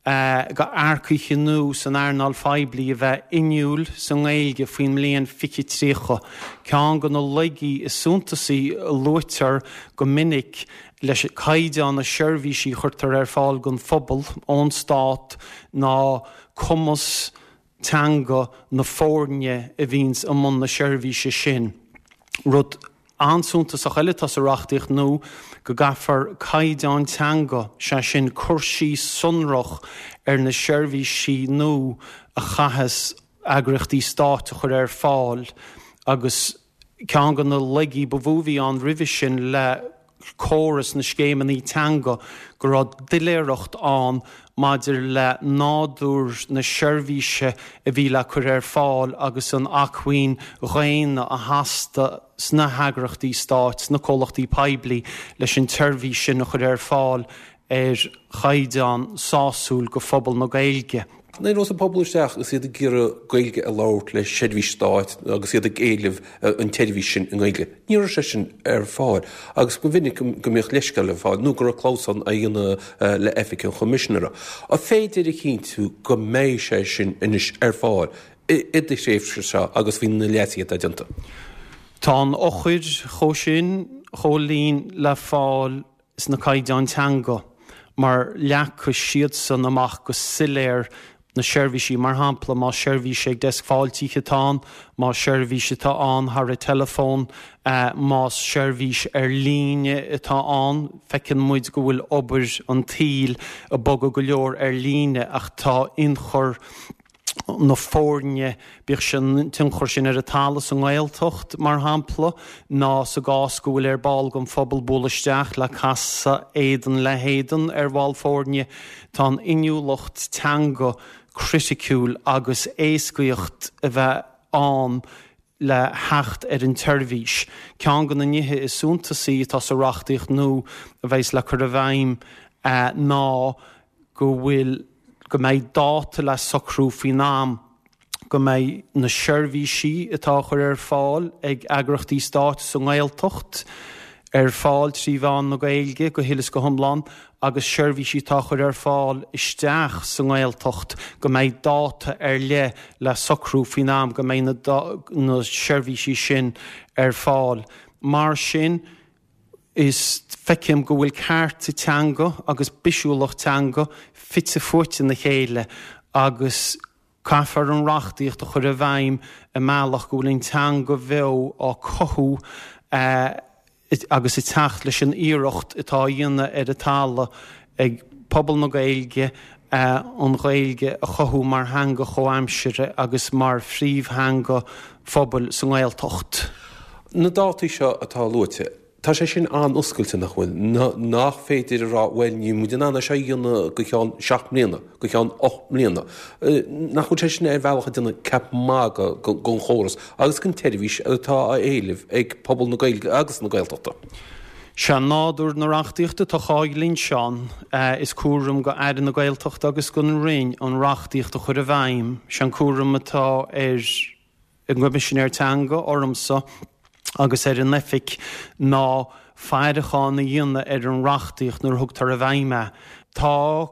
de earcaithe nua san earnáil phoiblí a bheith inniúil sa nGaeilge faoin mbliain fiche tríocha. Ceann de na laigí is suntasaí a luaitear go minic leis caighdeán na seirbhísí a chuirtear ar fáil don phobal ón stát ná cumas teanga na foirne a bhíonns i mbun na seirbhíse sin. Rud an-suntasach eile atá sa reachtaíocht nua go gcaithfear caighdeán teanga, sé sin cur síos sonrach ar na seirbhísí nua a chaitheas eagraíochtaí stáit a chur ar fáil agus ceann de na laigí ba mhó a bhí ann roimhe sin le córas na scéimeanna teanga go raibh doiléireacht ann maidir le nádúr na seirbhíse a bhí le cur ar fáil agus an acmhainn dhaonna a theastaigh sna heagraíochtaí stáit, sna comhlachtaí poiblí leis an tseirbhís sin a chur ar fáil ar chaighdeán sásúil go phobal na Gaeilge. Nuair a théann an pobal isteach agus iad ag iarraidh Gaeilge a labhairt le seirbhís stáit agus iad ag éileamh an tseirbhís sin i nGaeilge, ní raibh sé sin ar fáil agus ba mhinic go mbíodh leithscéal ar fáil nó go raibh clamhsán á dhéanamh le Oifig an Choimisinéara. An féidir a chinntiú go mbeidh sé sin anois ar fáil i do thréimhse seo agus faoi na leasuithe atá déanta? Tá an eochair chomh sin, a Chóilín, le fáil sna caighdeáin teanga mar leagfaidh siadsan amach go soiléir na seirbhísí, mar shampla, más seirbhís ag deasc fáiltithe atá ann, más seirbhís atá ann thar an teileafón, más seirbhís ar líne atá ann. Feiceann muid go bhfuil obair an tsaoil ag bogadh go leor ar líne ach tá ionchur na foirne, bíodh sé an t-ionchur sin ar an talamh sa nGaeltacht, mar shampla, ná sa gcás go bhfuil ar ball den phobal bualadh isteach le casadh éadan le héadan ar bhall foirne, tá an inniúlacht teanga criticiúil agus éascaíocht a bheith ann le theacht ar an tseirbhís. Ceann de na nithe is suntasaí atá sa reachtaíocht nua a bheas le cur i bhfeidhm ná go bhfuil go mbeidh dáta le socrú faoin am go mbeidh na seirbhísí atá á chur ar fáil ag eagraíochtaí stáit sa nGaeltacht ar fáil trí mheán na Gaeilge go huile is go hiomlán agus seirbhísí atá á chur ar fáil isteach sa nGaeltacht go mbeidh dáta ar leith le socrú faoin am go mbeidh na seirbhísí sin ar fáil. Mar sin, is feicim go bhfuil cearta teanga agus bisiúlacht teanga fite fuaite ina chéile agus caithfear an reachtaíocht a chur i bhfeidhm i mbealach go bhfuil an teanga bheo á cothú agus ag teacht leis an iarracht atá á dhéanamh ar an talamh ag pobal na Gaeilge an Ghaeilge a chothú mar theanga chomhaimseartha agus mar phríomhtheanga phobail sa nGaeltacht. Na dátaí seo atá luaite, tá sé sin an-oscailte, nach bhfuil? Nach féidir a rá, bhuel, níl muid in ann é seo a dhéanamh go ceann seacht mbliana, go ceann ocht mbliana. Nach bhfuil sé sin ar bhealach ag déanamh ceap magaidh den chóras agus den tseirbhís atá á éileamh ag pobal na Gaeilge agus na Gaeltachta? Sé nádúr na reachtaíochta atá á Seán. Is cúram go Aire na Gaeltachta agus don Roinn an reachtaíocht a chur i bhfeidhm. Sé an cúram atá ar an gCoimisinéir Teanga, ormsa, agus ar an Oifig ná faireachán a dhéanamh ar an reachtaíocht nuair a thugtar i bhfeidhm é. Tá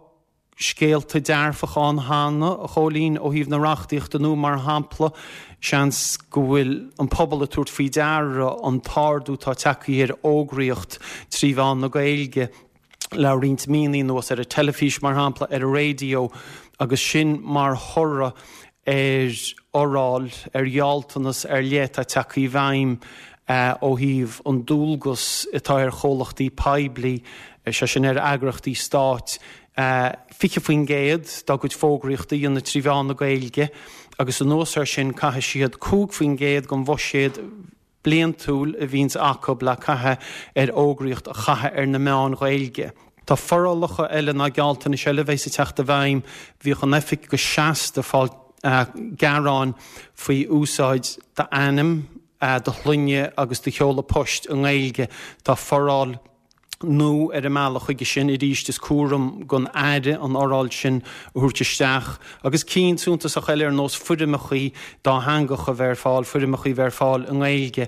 scéalta dearfacha ann cheana, a Chóilín, ó thaobh na reachtaíochta nua, mar shampla, seans go bhfuil an pobal ag tabhairt faoi deara an t-ardú atá tagtha ar fhógraíocht trí mheán na Gaeilge le roinnt míonna anuas, ar an teilifís, mar shampla, ar an raidió, agus sin mar thoradh ar fhoráil, ar ghealltanas ar leith atá tagtha i bhfeidhm ó thaobh an dualgas atá ar chomhlachtaí poiblí, sé sin ar eagraíochtaí stáit, fiche faoin gcéad dá gcuid fógraíochta a dhéanamh trí mheán na Gaeilge agus anuas air sin caithfidh siad cúig faoin gcéad den bhuiséad bliantúil a bhíonns acu le caitheamh ar fhógraíocht a chaitheamh ar na meáin Ghaeilge. Tá forálacha eile ná gealltanais eile a bheas ag teacht i bhfeidhm. Bhíodh an Oifig go seasta ag fáil gearáin faoi úsáid d'ainm do shloinne agus do sheoladh poist i nGaeilge. Tá foráil nua ar an mbealach chuige sin arís is cúram don Aire an fhoráil sin a thabhairt isteach agus cinn suntasach eile ar nós foirmeachaí dátheangacha a bheith ar fáil, foirmeachaí a bheith ar fáil i nGaeilge.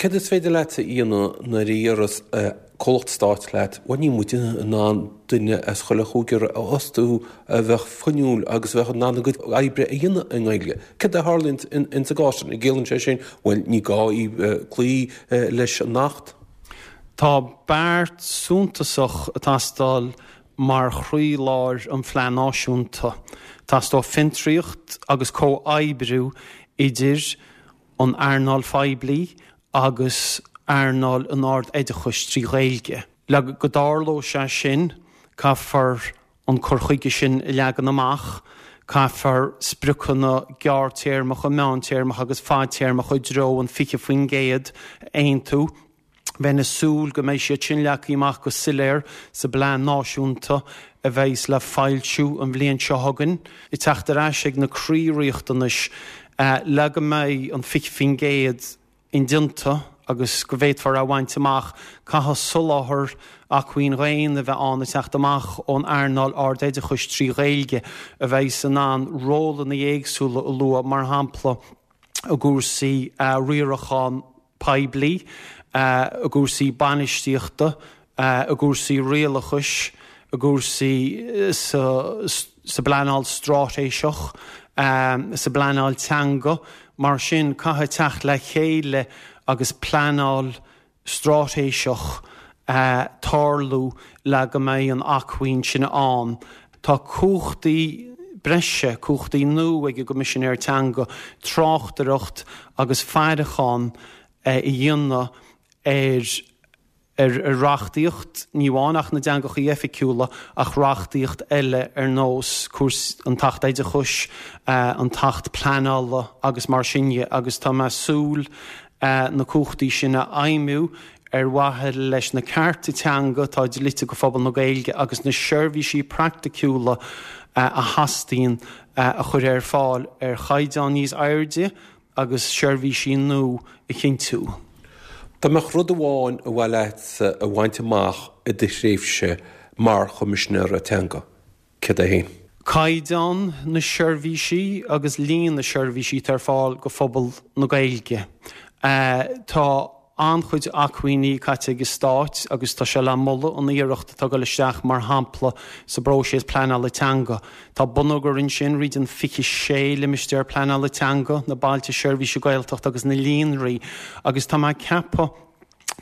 Céard is féidir leat a dhéanamh nuair a deireas comhlacht stáit leat, bhuel níl muid in ann duine as chuile chúigear a fhostú a bheadh fuinniúil agus a bheadh in ann a gcuid oibre a dhéanamh i nGaeilge. Céard a tharlaíonn insa gcás sin? An gciallaíonn sé sin, bhuel ní gá cloí leis an Acht? Tá beart suntasach ag teastáil mar chroílár an Phlean Náisiúnta. Teastóidh fiontraíocht agus comhoibriú idir an earnáil phoiblí agus earnáil an ard-oideachais trí Ghaeilge. Le go dtarlóidh sé sin, caithfear an cur chuige sin a leagan amach, caithfear spriocanna gearrtéarmacha, meántéarmacha agus fadtéarmacha i dtreo an fiche faoin gcéad a aontú. Bheinn ag súil go mbeidh siad sin leagtha amach go soiléir sa bPlean Náisiúnta a bheidhs le foilsiú an bhliain seo chugainn, ag teacht ar ais ag na croí-riachtanais le go mbeidh an fiche faoin gcéad indéanta agus go bhféadfar é a bhaint amach, caithfidh soláthar acmhainn dhaonna a bheith ann ag teacht amach ón earnáil ardoideachais trí Ghaeilge a bheidhs in ann rólanna éagsúla a lua, mar shampla i gcúrsaí riaracháin poiblí, i gcúrsaí bainistíochta, i gcúrsaí rialachais, i gcúrsaí sa bpleanáil straitéiseach, sa bpleanáil teanga. Mar sin, caithfidh teacht le chéile agus pleanáil straitéiseach tarlú le go mbeidh an acmhainn sin ann. Tá cumhachtaí breise, cumhachtaí nua ag an gCoimisinéir Teanga tráchtaireacht agus faireachán a dhéanamh ar ar reachtaíocht, ní amháin Acht na dTeangacha Oifigiúla ach reachtaíocht eile ar nós cúrsaí an tAcht Oideachais, an tAcht Pleanála agus mar sin dhe agus tá mé ag súil na cumhachtaí sin a fheidhmiú ar mhaithe leis na cearta teanga atá dlite go phobal na Gaeilge agus na seirbhísí praiticiúla a theastaíonn a chur ar fáil ar chaighdeán níos airde agus seirbhísí nua a chinntiú. Dá mbeadh rud amháin ba mhaith leatsa a bhaint amach i do thréimhse mar Choimisinéir Teanga, céard é féin? Caighdeán na seirbhísí agus líon na seirbhísí atá ar fáil go phobal na Gaeilge. Tá an-chuid acmhainní caite ag an Stát agus tá sé le moladh an iarracht atá ag dul isteach mar shampla sa bpróiseas pleanála teanga. Tá bonneagar ansin fríd an fiche sé limistéar pleanála teanga, na bailte seirbhíse Gaeltachta agus na líonraí agus tá mé ag ceapadh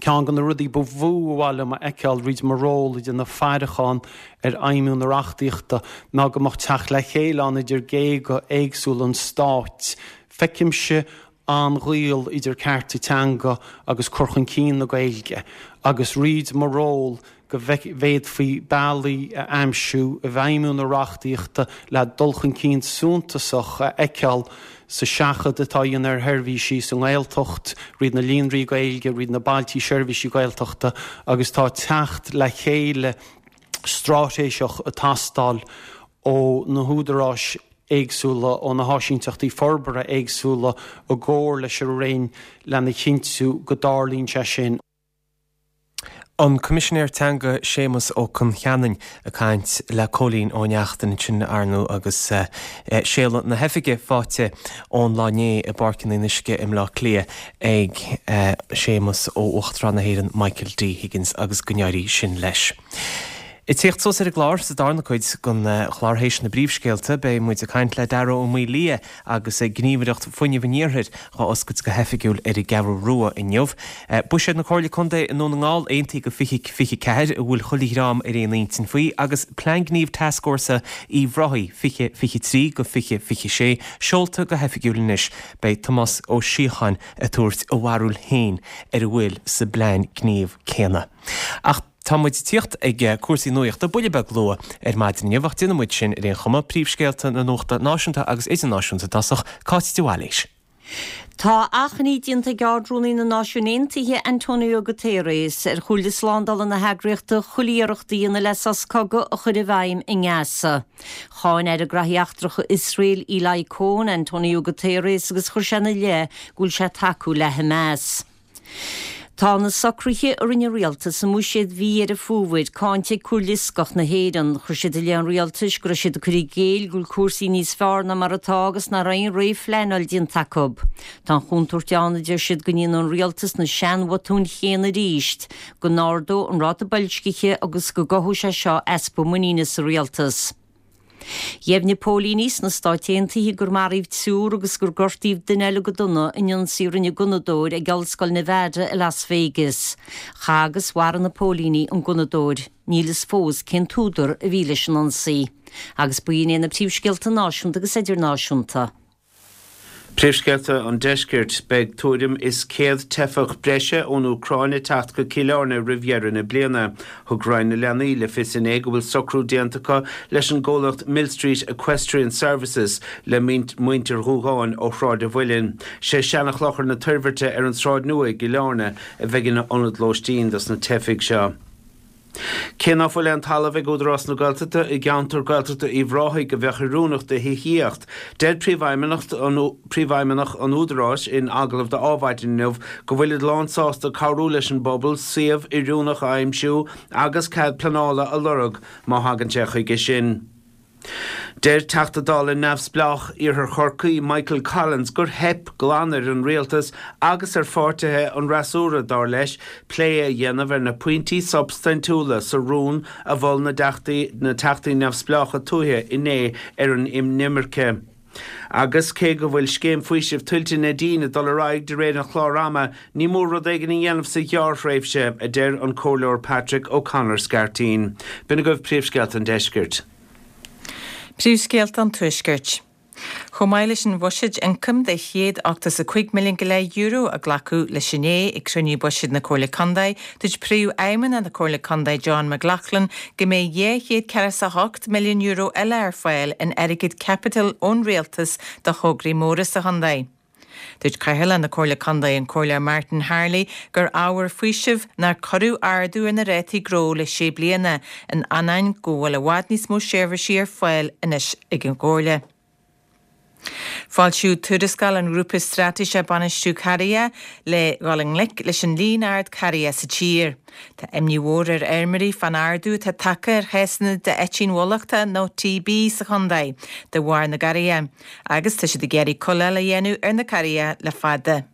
ceann de na rudaí ba mhó ba mhaith liom a fheiceáil fríd mo ról ag déanamh faireachán ar fheidhmiú na reachtaíochta ná go mbeadh teacht le chéile ann idir géaga éagsúla an Stáit. Feicimse an-ghaol idir cearta teanga agus cur chun cinn na Gaeilge agus fríd mo ról go bhféadfaí bealaí a aimsiú i bhfeidhmiú na reachtaíochta le dul chun cinn suntasach a fheiceáil sa seachadadh atá á dhéanamh ar sheirbhísí sa nGaeltacht, fríd na líonraí Gaeilge, fríd na bailtí seirbhísí Gaeltachta agus tá teacht le chéile straitéiseach ag teastáil ó na húdaráis éagsúla, ó na háisínteachtaí forbartha éagsúla i gcomhar leis an Roinn lena chinntiú go dtarlaíonn sé sin. An Coimisinéir Teanga Séamus Ó Concheanainn ag caint le Cóilín Ó Neachtain ansin ar ndóigh agus séala na hoifige faighte ón lá inné i bPáirc an Fhionnuisce i mBleá Cliath ag Séamus ó Uachtarán na hÉireann Michael D Higgins agus go n-éirí sin leis. Ag tíocht suas ar an gclár sa darna cuid den chlár théis na bpríomhscéalta beidh muid ag caint le Dara Ó Maolaodha agus Gníomhaireacht Fuinnimh an Iarthair dhá oscailt go hoifigiúil ar an gCeathrú Rua inniu. Buiséad na Comhairle Contae i nDún na nGall aontaithe go fiche fiche ceathair a bhfuil chuile dhream ar aon intinn faoi agus Plean Gnímh Tascfhórsa Uíbh Ráthaigh fiche fiche trí go fiche fiche sé seolta go hoifigiúil anois. Beidh Tomás Ó Síocháin ag tabhairt a bharúil féin ar a bhfuil sa bplean gnímh céanna. Ach tá muid ag tíocht ag cúrsaí nuachta buille beag luath ar maidin inniu ach déanfaidh muid sin ar aon chuma, príomhscéalta na nuachta náisiúnta agus idirnáisiúnta i dtosach, Cáit de Bhailís. Tá achainí déanta ag Ard-Rúnaí na Náisiún Aontaithe Antonio Guterres ar Chomhairle Slándála na heagraíochta chuile iarracht a dhéanamh le sos cogaidh a chur i bhfeidhm i nGaza. Cháin Aire Gnóthaí Eachtracha Iosrael Eli Cohen Antonio Guterres agus chuir sé ina leith go bhfuil sé ag tacú le Hamas. Tá na socruithe a rinne an rialtas i mbuiséad mhí Dheireadh Fómhair cáinte ag Comhairle Fhioscach na hÉireann. Chuir siad i leith an rialtais go raibh siad ag cur i gcéill go bhfuil cúrsaí níos fearr ná mar atá agus nach raibh aon réamhphleanáil déanta acu. Tá an chontúirt ann a deir siad go ndéanfaidh an rialtas na seanbhotúin chéanna arís, go n-ardóidh an ráta boilscithe agus go gcothóidh sé seo easpa muiníne sa rialtas. Dheimhnigh póilíní sna Stáit Aontaithe gur maraíodh triúr agus gur gortaíodh duine eile go dona in ionsaí a rinne gunnadóir ag Ollscoil Nevada i Las Vegas. Chaith agus mharaigh na póilíní an gunnadóir. Níl fhios fós cén t-údar a bhí leis an ionsaí. Agus b'in iad na príomhscéalta náisiúnta agus idirnáisiúnta. Príomhscéalta an Deiscirt, Beidh tuairim is céad teifeach breise ón Úcráin ag teacht go Cill Airne roimh dheireadh na bliana. Thug Roinn na Leanaí le fios inné go bhfuil socrú déanta acu leis an gcomhlacht Millstreet Equestrian Services le muintir Dhúgáin ó Shráid an Mhuilinn. Sé Seanchlochar na Toirbhirte ar an Sráid Nua i gCill Airne a bheidh ina ionad lóistín dos na teifigh seo. Cé ná fuil aon talamh ag Údarás na Gaeltachta i gceantar Gaeltachta Uíbh Ráthaigh a bheadh oiriúnach do thithíocht, deir Príomhfheidhmeannach an Údaráis in agallamh do Adhmhaidin inniu go bhfuilid lánsásta cabhrú leis an bpobal suíomh oiriúnach a aimsiú agus cead pleanála a lorg má thagann sé chuige sin. Deir Teachta Dála neamhspleách Iarthar Chorcaí, Michael Collins, gur theip glan ar an rialtas agus ar pháirtithe an fhreasúra, dar leis, plé a dhéanamh ar na pointí substaintiúla sa rún a mhol na Teachtaí Neamhspleácha Tuaithe inné ar an inimirce. Agus cé go bhfuil scéim faoisimh tuilte Nadine ag dul ar aghaidh de réir an chláir ama, ní mór rud éigin a dhéanamh sa ghearrthréimhse, a deir an Comhairleoir Patrick O'Connor Scarteen. B'in agaibh príomhscéalta an deiscirt. Príomhscéalta an Tuaiscirt. Chomh maith leis an bhuiséad ioncaim de chéad ochtó is a cúig milliún go leith euro a glacadh leis inné ag cruinniú buiséid na Comhairle Contae, dúirt Príomhfheidhmeannach na Comhairle Contae John McLaughlin go mbeidh dhá chéad ceathracha is a hocht milliún euro eile ar fáil in airgead caipitil ón rialtas do thograí móra sa chontae. Dúirt Cathaoirleach na Comhairle Contae, an Comhairleoir Martin Harley, gur ábhar faoisimh nár cuireadh ardú ar na rátaí gnó le sé bliana, in ainneoin go bhfuil i bhfad níos mó seirbhísí ar fáil anois ag an gComhairle. Foilsíodh tuarascáil an Ghrúpa Straitéise Bainistiú Carraige le dhul i ngleic leis an líon ard carraige sa tír. Tá imní mhór ar fheirmeoirí fán ardú atá tagtha ar chásanna d'eitín bhulachta nó T B sa chontae de bharr na gcarraige agus tá siad ag iarraidh cóireáil a dhéanamh ar na carraige le fada.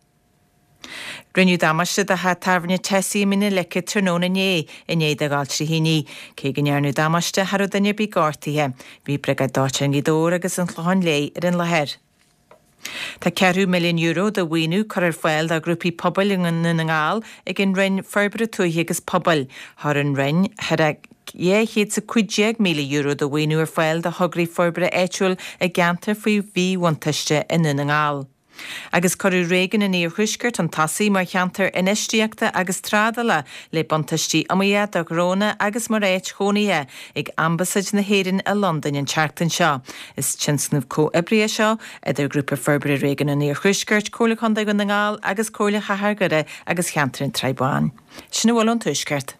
Rinneadh damáiste do theach tábhairne Tessie i Mín na Leice tráthnóna inné i ndiaidh do dhul trí thine. Cé go ndearnadh damáiste, cha raibh duine ar bith gortaithe. Bhí Briogáid Dóiteáin Ghaoth Dobhair agus an Chlocháin Léith ar an láthair. Tá ceathrú milliún euro de mhaoiniú curtha ar fáil do ghrúpaí pobail i nDún na nGall ag an Roinn Forbartha Tuaithe agus Pobail. Chuir an Roinn thar a dhá chéad is a cúig déag míle euro de mhaoiniú ar fáil do thograí forbartha áitiúil i gceantair faoi mhíbhuntáiste i nDún na nGall. Agus cuireadh réigiún an Iarthuaiscirt chun tosaigh mar cheantar infheistíochta agus trádála le buntáistí iomaíocha do ghnónna agus mar áit chónaithe ag Ambasáid na hÉireann i Londain an tseachtain seo. Is tionscnamh comhoibrithe seo idir Grúpa Forbartha Réigiún an Iarthuaiscirt, Comhairle Contae Dhún na nGall agus Comhairle Chathair Dhoire agus Cheantar an tSrath Báin. Sin a bhfuil ón Tuaisceart.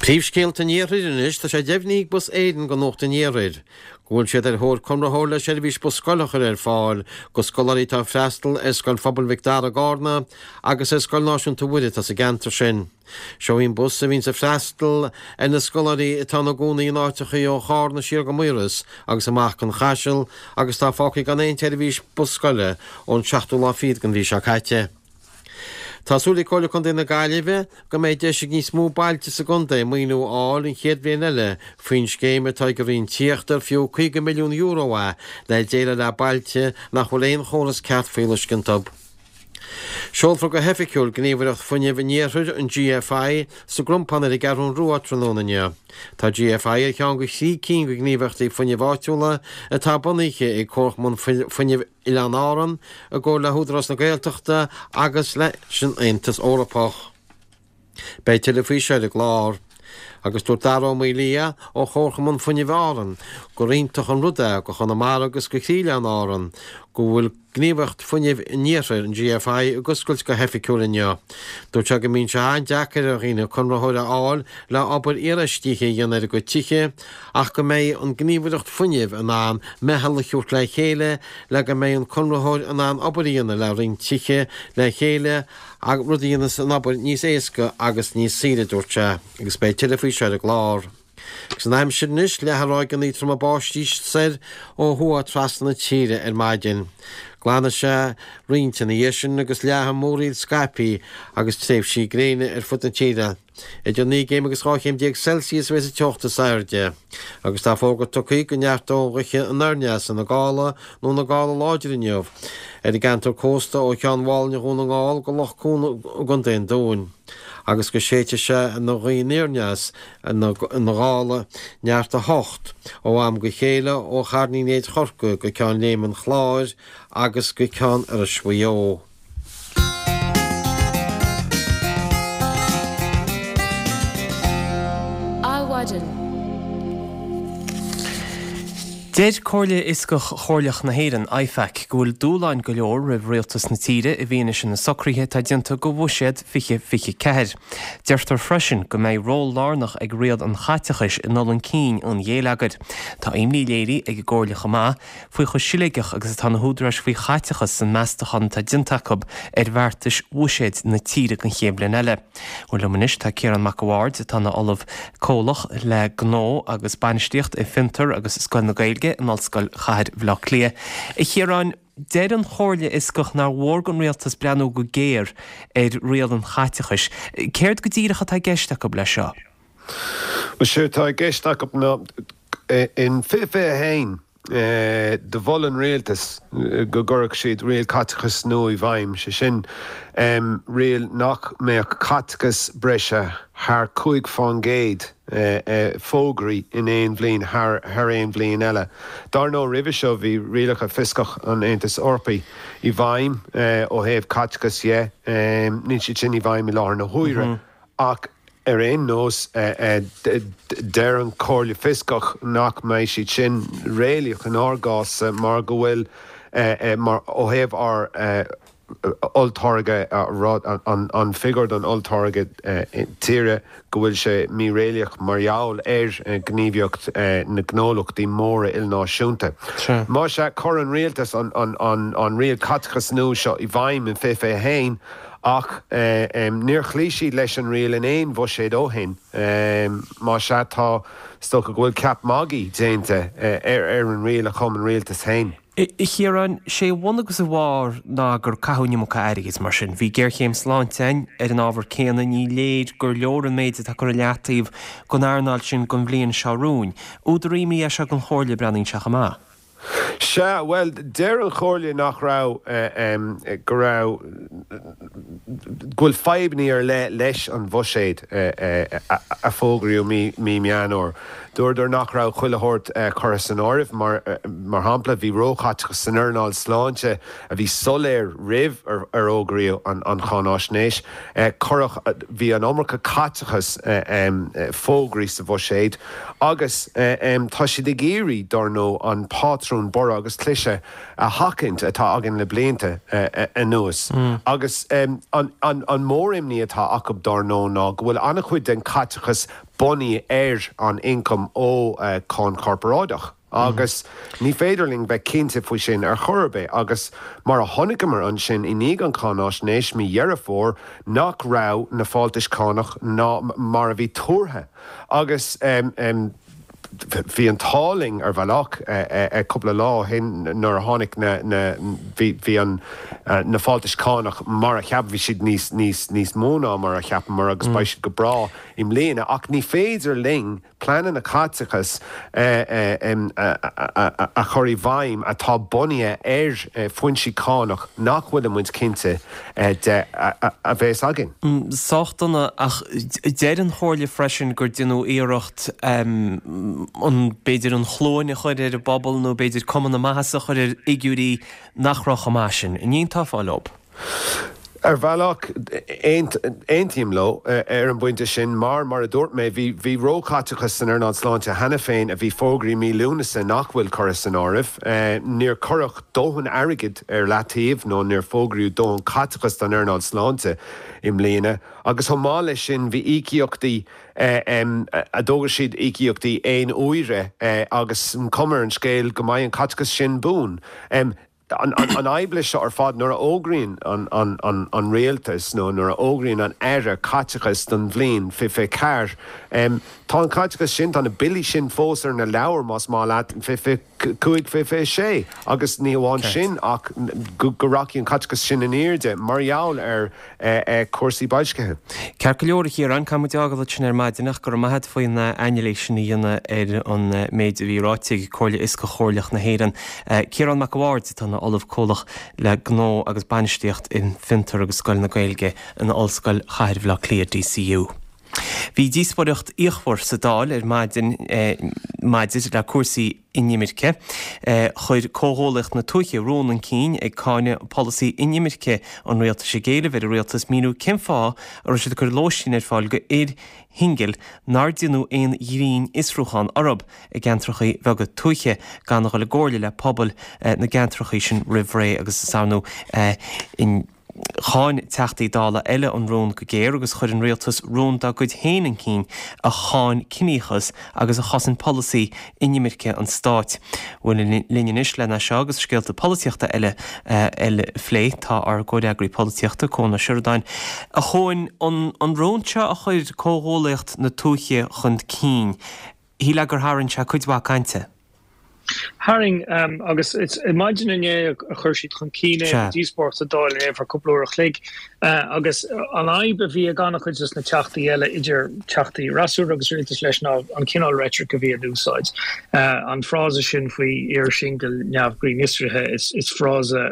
Príomhscéalta an Iarthair anois, tá sé deimhnithe ag Bus Éireann do Nuacht an Iarthair go bhfuil siad ar thóir conraitheoir le seirbhís bus scoile a chur ar fáil do scoláirí atá ag freastal ar Scoil Phobail Mhic Dara i gCarna agus ar Scoil Náisiúnta Mhuire atá sa gceantar sin. Seo í an bus a bhíonns ag freastal ar na scoláirí atá ina gcónaí in áiteachaí ó Chárna siar go Maoras agus amach go An Chaiseal agus atá fágtha gan aon tseirbhís bus scoile ón seachtú lá fichead den mhí seo caite. Tá súil ag Comhairle Contae na Gaillimhe go mbeidh deis ag níos mó bailte sa gcontae maoiniú a fháil an chéad bhliain eile faoin scéim atá ag an Roinn Tithíochta ar fiú caoga milliún euro é le déileáil le bailte nach bhfuil aon chóras ceart fuíolluisce iontu. Seolfar go hoifigiúil Gníomhaireacht Fuinnimh an Iarthair, an G F I, sa gCrompán ar an gCeathrú Rua tráthnóna inniu. Tá G F I ar cheann de thrí cinn de ghníomhaireachtaí fuinnimh áitiúla atá bunaithe ag Comharchumann Fuinnimh Oileáin Árann i gcomhar le hÚdarás na Gaeltachta agus leis an Aontas Eorpach. Beidh tuilleadh faoi seo ar an gclár. Agus dúirt Dara Ó Maolaodha ó Chomharchumann Fuinnimh Árann gur iontach an rud é do Chonamara agus do chroí-oileán Árann go bhfuil Gníomhaireacht Fuinnimh an Iarthair, an GFI, ag oscailt go hoifigiúil inniu. Dúirt sé go mbíonn sé an-deacair ar dhaoine conraitheoir a fháil le obair iarfheistithe a dhéanamh ar a gcuid tithe ach go mbeidh an Gníomhaireacht Fuinnimh in ann meitheal a thabhairt le chéile le go mbeidh an conraitheoir in ann obair a dhéanamh le roinnt tithe le chéile rud a dhéanfas an obair níos éasca agus níos saoire, a dúirt sé, agus beidh tuilleadh faoi seo ar an gclár. Agus an aimsir anois, leathfaidh ráigeanna troma báistí soir ó thuaidh trasna na tíre ar maidin. Glanfaidh sé roinnt ina dhiaidh sin agus leathfaidh an múraíl scaipthe agus tréimhsí gréine ar fud na tíre. Idir naoi gcéim agus dhá chéim déag Celsius a bheas an teocht is airde. Agus tá fógra tugtha go neartóidh an ghaoth anoirneas ina gála nó ina gála láidir inniu ar an gceantar cósta ó Cheann Mhálainne Dhún na nGall go Loch Cuan i gContae an Dúin. agus go séidfidh sé ina ghaoth aniarndeas ina ghála neart a hocht ó am go chéile ó Charn Uí Néid Chorcaí go Ceann Léime an Chláir agus go Ceann Iorrais Mhaigh Eo. Adhmhaidin. Deir Comhairle Fhioscach Chomhairleach na hÉireann, IFAC, go bhfuil dúshláin go leor roimh rialtas na tíre i bhfianaise na socruithe atá déanta do Bhuiséad fiche fiche ceathair. Deirtear freisin go mbeidh ról lárnach ag riail an chaiteachais i ndul chun cinn an ghéilleagair. Tá imní léirithe ag an gComhairle chomh maith faoi chomh siléigeach agus atá na húdaráis faoi chaiteachas san meastachán atá déanta acu ar bheartais bhuiséid na tíre don chéad bhliain eile. Bhuel liom anois tá Ciarán Mac a' Bhaird atá ina Ollamh Comhlach le Gnó agus Bainistíocht i Fiontar agus Scoil na Gaeilge in Ollscoil Chathair Bhaile Átha Cliath. A Chiaráin, deir an Chomhairle Fhioscach nár mhór don rialtas breathnú go géar ar riail an chaiteachais. Céard go díreach atá i gceist acu leis seo? Bhuel, séard atá i gceist acu ná in fiche fiche a haon, Do mhol an rialtas go gcuirfeadh siad riail caiteachais nua i bhfeidhm, sé sin, riail nach mbeadh caiteachas breise thar cúig fán gcéad fógraithe in aon bhliain thar aon bhliain eile. Dár ndóigh, roimhe seo bhí rialacha fioscach an Aontais Eorpaigh i bhfeidhm ó thaobh caiteachais dhe. Níl siad sin i bhfeidhm i láthair na huaire ach Ar aon nós, deir an Chomhairle Fioscach nach mbeidh siad sin réalaíoch inár gcás mar go bhfuil, mar ó thaobh ár olltáirge, an figiúr don olltáirge tíre, go bhfuil sé míréalaíoch mar gheall ar ghníomhaíocht na ngnólachtaí móra ilnáisiúnta. Más ea, chuir an rialtas an riail caiteachais nua seo i bhfeidhm in fiche fiche a haon, Ach níor chloígh siad leis an riail in aon bhuiséad ó shin. Más ea, tá, is dócha go bhfuil ceap magaidh déanta ar an riail a chum an rialtas féin. A Chiaráin, sé a bhun agus a bharr ná gur caitheadh an iomarca airgid, mar sin. Bhí géarchéim sláinte ann ar an ábhar céanna, ní léir gur leor an méid atá curtha i leataobh don earnáil sin don bhliain seo romhainn. Údar imní é seo don Chomhairle, breathnaíonn sé chomh maith. Sea, bhuel, deir an Chomhairle nach raibh, go raibh, go bhfuil fadhbanna ar leith leis an bhuiséad a fógraíodh mí mí Meán Fhómhair. Dúradar nach raibh chuile shórt curtha san áireamh, mar mar shampla, bhí róchaiteachas san earnáil sláinte a bhí soiléir roimh ar fhógraíodh an cháináisnéis. Cuireadh, bhí an iomarca caiteachas fógraithe sa bhuiséad agus tá siad ag iarraidh, dár ndóigh, an pátrún borradh agus cliseadh a sheachaint atá againn le blianta anuas. Agus an mhór-imní atá acu, dár ndóigh, ná go bhfuil an-chuid den chaiteachas bunaithe ar an ioncam ó cháin chorparáideach. Agus ní féidir linn bheith cinnte faoi sin ar chor ar bith. Agus mar a chonaiceamar ansin i ndiaidh an cháináisnéis mí Dheireadh Fómhair nach raibh na fáltais cánach ná mar a bhí tuartha. Agus bhí an t-ádh linn ar bhealach cúpla lá ó shin nuair a tháinig na na bhí bhí an na fáltais cánach mar a cheap bhí siad níos níos níos mó ná mar a cheapamar agus beidh siad go breá i mbliana ach ní féidir linn pleananna caiteachais a chur i bhfeidhm atá bunaithe ar foinsí cánach nach bhfuil muid cinnte de a bheas againn. Sách dona, ach deir an Chomhairle freisin gur deineadh iarracht an, b'fhéidir an chluain a chur ar an bpobal nó b'fhéidir cuma na maitheasa a chur ar fhigiúirí nach raibh chomh maith sin. An aontófá leo? Ar bhealach, aontaím leo ar an bpointe sin mar, mar a dúirt mé, bhí bhí róchaiteachas san earnáil sláinte cheana féin a bhí fógraithe mí Lúnasa nach bhfuil curtha san áireamh. Níor cuireadh dóthain airgid ar leataobh nó níor fógraíodh dóthain caiteachas don earnáil sláinte i mbliana agus chomh maith leis sin bhí íocaíochtaí a d'fhógair siad íocaíochtaí aon uaire agus an cuma ar an scéal go mbeidh an caiteachas sin buan. An fhadhb leis seo ar fad, nuair a fhógraíonn an rialtas nó nuair a fhógraíonn an Aire caiteachas don bhliain fiche fiche ceathair, tá an caiteachas sin, tá na billí sin fós ar na leabhair, más maith leat, fiche fiche cúig, fiche fiche sé. Agus ní hamháin sin ach go rachaidh an caiteachas sin in airde mar gheall ar chúrsaí boilscithe. Ceart go leor, a Chiaráin, caithfidh muid fhágáil ansin ar maidin ach go raibh maith agat faoin anailís sin a dhéanamh ar an méid a bhí ráite ag Comhairle Fhioscach Chomhairleach na hÉireann. Ciarán Mac a' Bhaird atá ina Ollamh Comhlach le Gnó agus Bainistíocht in Fiontar agus Scoil na Gaeilge in Ollscoil Chathair Bhaile Átha Cliath, DCU. Bhí díospóireacht fhíochmhar sa Dáil ar maidin maidir le cúrsaí inimirce. Chuir Comhghuallaíocht na Tuaithe rún chun cinn ag cáineadh polasaí inimirce an rialtais ag éileamh ar an rialtas míniú cén fáth a raibh siad ag cur lóistín ar fáil go fhir shingil nár déanadh aon ghrinnfhiosrúchán orthu i gceantracha beaga tuaithe gan a dhul i gcomhairle le pobail na gceantracha sin roimh ré agus is ar ndóigh Cháin Teachtaí Dála eile an rún go géar agus chuir an rialtas rún dá gcuid féin chun cinn a cháin ciníochas agus a chosain polasaí inimirce an stáit. Bhuel, linn anois lena seo agus scéalta polaitíochta eile a phlé tá ár gcomhfhreagraí polaitíochta, Cuan Ó Seireadáin. A Chuain, an rún seo a chuir Comhghuallaíocht na Tuaithe chun cinn, shílfeá gur tharraing sé cuid mhaith cainte? Tharraing, agus is maidin inné a chuir siad chun cinn é, bhí díospóireacht sa Dáil inné for cúpla uair a chloig, agus an fhadhb a bhí ag an-chuid de na teachtaí eile, idir teachtaí fhreasúra agus rialtais leis, ná an cineál reitric a bhí in úsáid. An frása sin faoi fhir singil neamh-ghrinnfhiosraithe, is frása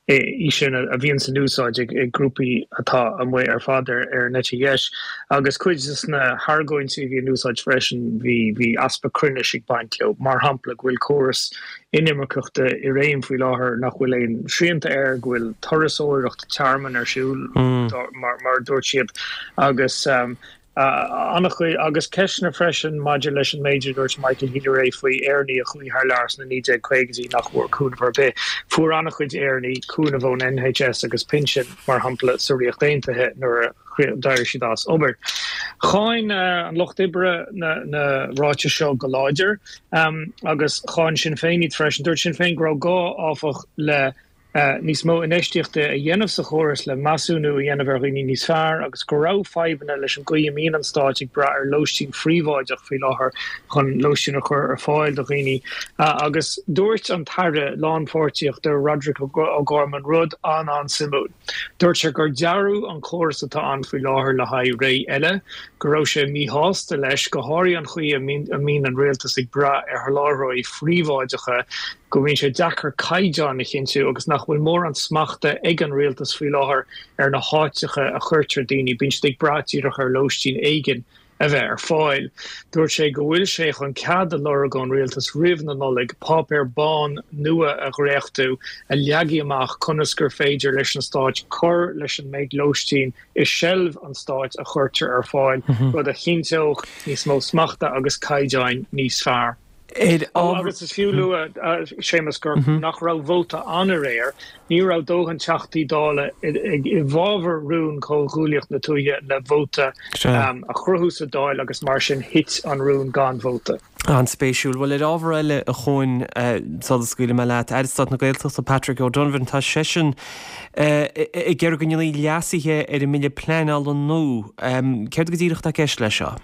í sin a bhíonn in úsáid ag grúpaí atá amuigh ar fad ar an eite dheis. Agus cuid de na hargóintí a bhí in úsáid freisin, bhí bhí easpa cruinnis ag baint leo. Mar shampla, go bhfuil córas inimirceachta i réim faoi láthair nach bhfuil aon srianta air, go bhfuil turasóireacht tearmainn ar siúl, mar mar a dúirt siad, agus An-chuid, agus ceisteanna freisin maidir leis an méid a dúirt Michael Healy-Rae faoi Éireannaigh a chuaigh thar lear sna naoi déag caogaidí nach bhfuair cúnamh ar bith. Fuair an-chuid Éireannaigh cúnamh ón NHS agus pinsin, mar shampla, sa Ríocht Aontaithe nuair a d'éirigh siad as obair. Cháin an Lucht Oibre na ráitis seo go láidir agus cháin Sinn Féin iad freisin. Dúirt Sinn Féin go raibh gá, áfach, le níos mó infheistíochta a dhéanamh sa chóras le measúnú a dhéanamh ar dhaoine níos fearr agus go raibh fadhbanna leis an gcaoi a mbíonn an Stát ag brath ar lóistín phríobháideach faoi láthair chun lóistín a chur ar fáil do dhaoine. Agus dúirt an tAire Lánpháirtíochta Roderic O'Gorman rud an-an-suimiúil. Dúirt sé gur dearadh an córas atá ann faoi láthair le haghaidh ré eile, go raibh sé míshásta leis, go háirithe an chaoi a mbíonn an rialtas ag brath ar sholáthróirí phríobháideacha, go mbíonn sé deacair caighdeáin a chinntiú agus nach bhfuil mórán smachta ag an rialtas faoi láthair ar na háiteacha a chuirtear daoine, bíonn siad ag brath díreach ar lóistín éigin a bheith ar fáil. Dúirt sé go bhfuil sé chun cead a lorg ón rialtas roimh na Nollaig páipéar bán nua a dhréachtú a leagfaidh amach conas gur féidir leis an Stát cur leis an méid lóistín i seilbh an stáit a chuirtear ar fáil, rud a chinnteodh níos mó smachta agus caighdeáin níos fearr. Agus is fiú lua, Séamus, gur nach raibh vóta ann aréir, ní raibh dóthain Teachtaí Dála i bhfabhar rún Chomhghuaillíocht na Tuaithe le vóta a chruthú sa Dáil agus mar sin thit an rún gan vóta. An-spéisiúil. Bhuel, ar ábhar eile, a Chuain, sula scaoilfidh mé leat, Aire Stáit na Gaeltachta Patrick O'Donovan, tá seisean ag iarraidh go ndéanfaí leasuithe ar an mBille Pleanála nua. Céard go díreach atá i gceist leis seo?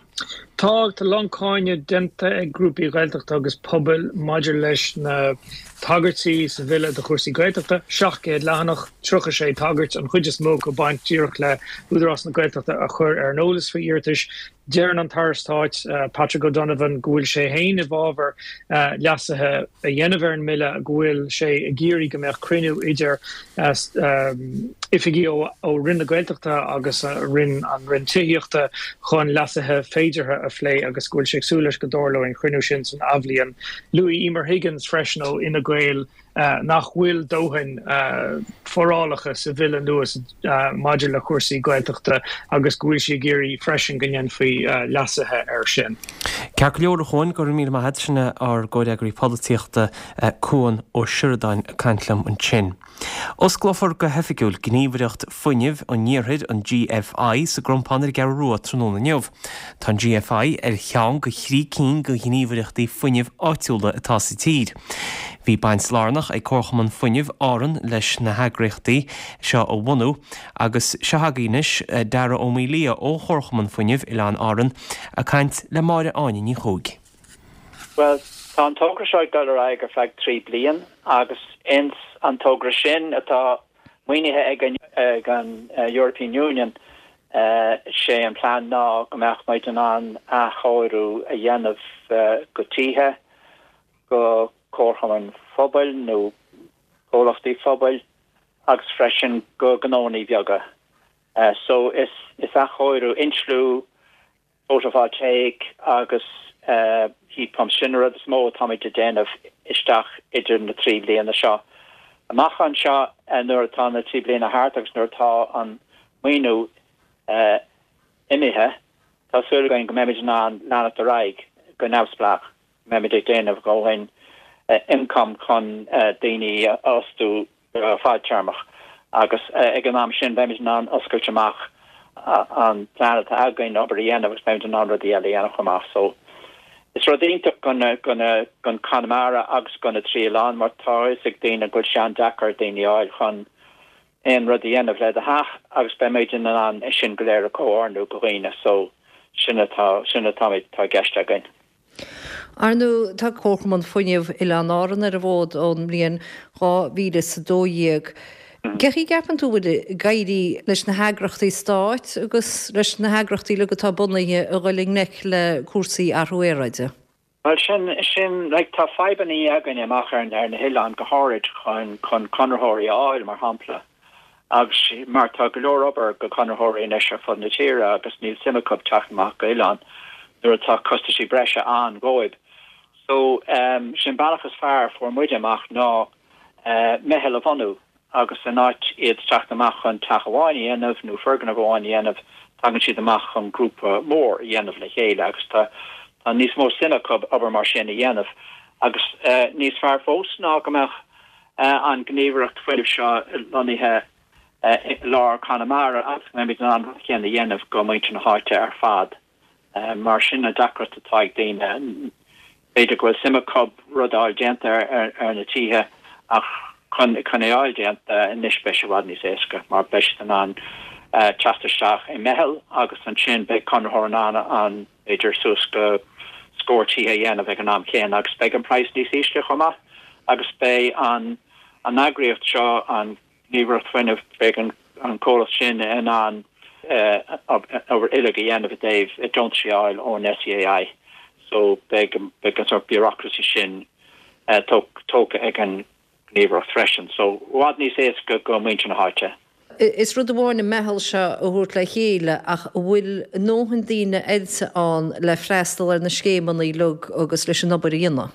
Tá a lán cáineadh déanta ag grúpaí Gaeltachta agus pobail maidir leis na tagairtí sa bhille do chúrsaí Gaeltachta, seacht gcéad leathanach, tríocha sé tagairt, an chuid is mó acu ag baint díreach le Údarás na Gaeltachta a chur ar an eolas faoi iarratais. Deireann an tAire Stáit, Patrick O'Donovan, go bhfuil sé féin i bhfabhar leasuithe a dhéanamh ar an mbille, go bhfuil sé ag iarraidh go mbeadh cruinniú idir oifigigh ó Roinn na Gaeltachta agus Roinn an Roinn Tithíochta chun leasuithe féideartha a phlé agus go bhfuil sé ag súil leis go dtarlóidh an cruinniú sin san athbhliain. Luaigh Emer Higgins freisin ó Fhine Gael nach bhfuil dóthain forálacha sa bhille nua maidir le cúrsaí Gaeltachta agus go bhfuil sí ag iarraidh freisin go ndéanfaí leasuithe air sin. Ceart go leor a Chuain, go raibh míle maith agat, sin ár gcomhfhreagraí polaitíochta Cuan Ó Seireadáin ag caint liom ansin. Osclófar go hoifigiúil Gníomhaireacht Fuinnimh an Iarthair, an GFI, sa gCrompán ar an gCeathrú Rua tráthnóna inniu. Tá an GFI ar cheann de thrí cinn de ghníomhaireachtaí fuinnimh áitiúla atá sa tír. Bhí baint lárnach ag Comharchumann Fuinnimh Árann leis na heagraíochtaí seo a bhunú agus seo agaibh anois Dara Ó Maolaodha ó Chomharchumann Fuinnimh Oileáin Árann ag caint le Máire Áine Ní Chuaig. Bhuel, tá an togra seo ag dul ar aghaidh ar feadh trí bliain agus ins an togra sin atá maoinithe ag an ag an European Union sé an plean ná go mbeadh muid in ann athchóiriú a dhéanamh go tithe, go comharchumainn phobail nó comhlachtaí phobail agus freisin go gnónnaí beaga. So is is athchóiriú, insliú, photovoltaic agus heat pumps, sin an rud is mó atáimid ag déanamh isteach idir na trí bliana seo. Amach anseo nuair atá na trí bliana thart agus nuair atá an maoiniú imithe, tá súil againn go mbeimid in ann leanacht ar aghaidh go neamhspleách, go mbeimid ag déanamh dhóthain income chun daoine a fhostú go fadtéarmach agus ag an am sin beimid in ann oscailt amach an plean atá againn obair a dhéanamh agus beimid in ann rudaí eile a dhéanamh chomh maith. So is rud iontach don Conamara agus do na trí oileán mar tá a fhios ag daoine go bhfuil sé an-deacair daoine a fháil chun aon rud a dhéanamh le do theach agus beimid in ann é sin go léir a chomhordú do dhaoine so sin atá sin atá tá i gceist againn. Ar ndóigh, tá Comharchumann Fuinnimh Oileáin Árann ar an bhfód ón mbliain dhá mhíle is a dó dhéag. Cén chaoi a gceapann tú bhfuil ag éirí leis na heagrachtaí stáit agus leis na heagrachtaí uilig atá bunaithe a dhul i ngleic le cúrsaí athrú aeráide? Bhuel, sin, sin, like, tá fadhbannaí againn amach ar, ar na hoileáin go háirid chun, chun conraitheoirí a fháil, mar shampla. Agus mar tá go leor obair go conraitheoirí anois ar fud na tíre agus níl suim acu teacht amach go oileán nuair atá costaisí breise ann dhóibh. So, um, sin bealach is fearr fuair muide amach ná uh, meitheal a bhunú agus in áit iad teacht amach chun teach amháin a dhéanamh nó foirgneamh amháin a dhéanamh, tagann siad amach chun grúpa mór a dhéanamh le chéile agus tá tá níos mó suim acu obair mar sin a dhéanamh. Agus uh, níos fearr fós ná go mbeadh uh, an gníomhaireacht fuinnimh seo lonnaithe uh, i lár Conamara agus go mbeimid in ann an chéanna a dhéanamh go muintir na háite ar fad. Uh, mar sin na deacracht atá ag daoine b'fhéidir go bhfuil suim acu rud a fháil déanta ar, ar, ar na tithe ach chun chun é fháil déanta anois beidh sé i bhfad níos éasca mar beidh siad in ann uh, teacht isteach i meitheal agus ansin beidh conraitheoir in ann an b'fhéidir suas go scór tithe a dhéanamh ag an am céanna agus beidh an praghas níos ísle chomh maith agus beidh an an eagraíocht seo an Gníomhaireacht Fuinnimh beidh an an comhlacht sin in ann uh, obair uilig a dhéanamh i dtaobh deontais a fháil ón SEAI so beidh beidh an sort bureaucracy sin uh, tógtha ag an Gníomhaireacht freisin so i bhfad níos éasca go muintir na háite. Is rud amháin an meitheal seo a thabhairt le chéile ach an bhfuil a ndóthain daoine oilte ann le freastal ar na scéimeanna uilig agus leis an obair a dhéanamh.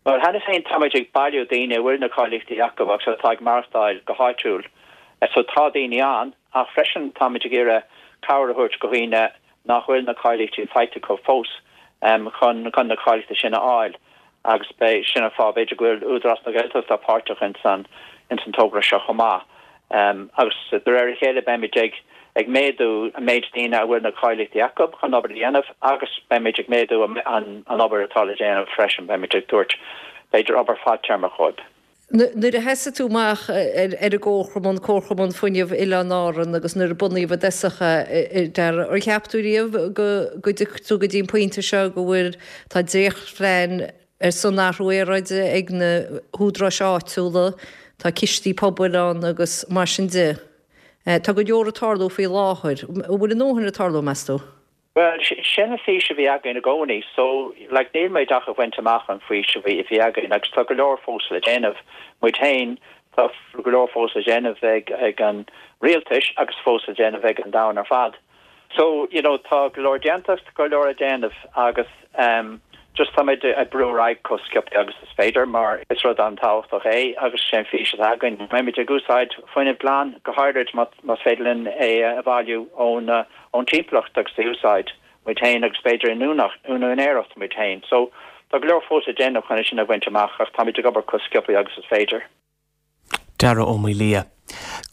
Well cheana féin táimid ag bailiú daoine a bhfuil na cáilíochtaí acu agus atá ag maireachtáil go háitiúil. So tá daoine ann ach freisin táimid ag iarraidh cabhair a thabhairt go dhaoine nach bhfuil na cáilíochtaí faighte acu fós um, chun chun na cáilíochtaí sin a fháil. agus beidh sin an fáth b'fhéidir go bhfuil Údarás na Gaeltachta páirteach in san in san togra seo chomh maith. Um, agus de réir a chéile beimid ag ag méadú an méid daoine a bhfuil na cáilíochtaí acu chun obair a dhéanamh agus beimid ag méadú an, an obair atá le déanamh freisin beimid ag tabhairt b'fhéidir obair fadtéarmach dhóibh. Nuair a thosaigh tú amach ar an gComharchumann, Comharchumann Fuinnimh Oileáin Árann agus nuair a bunaíodh i dtosach é, Dara, ar cheap tú riamh go go dtiocfadh tú go dtí an pointe seo go bhfuil tá dréachtphlean ar son athrú aeráide ag na húdaráis áitiúla, tá cistí pobail ann agus mar sin de. Tá go leor ag tarlú faoi láthair. An bhfuil a ndóthain ag tarlú, meas tú? Bhuel, sin an fhís a bhí againn i gcónaí, so like níl muid ach ag baint amach an fhís a bhí a bhí againn agus tá go leor fós le déanamh. Muid féin, tá go leor fós le déanamh ag ag an rialtais agus fós le déanamh ag an domhan ar fad. So, you know, tá go leor déanta, go leor le déanamh agus um, just táimid ag brú ar aghaidh chomh sciobtha agus is féidir mar is rud an-tábhachtach é agus sin fís atá againn. Beimid ag úsáid fuinneamh glan go háirid más féidir linn é a bhailiú ón ón timpeallacht agus é úsáid muid féin agus b'fhéidir in úinéireacht muid féin. So tá go leor fós le déanamh chun sin a bhaint amach ach táimid ag obair chomh sciobtha agus is féidir. Dara Ó Maolaodha.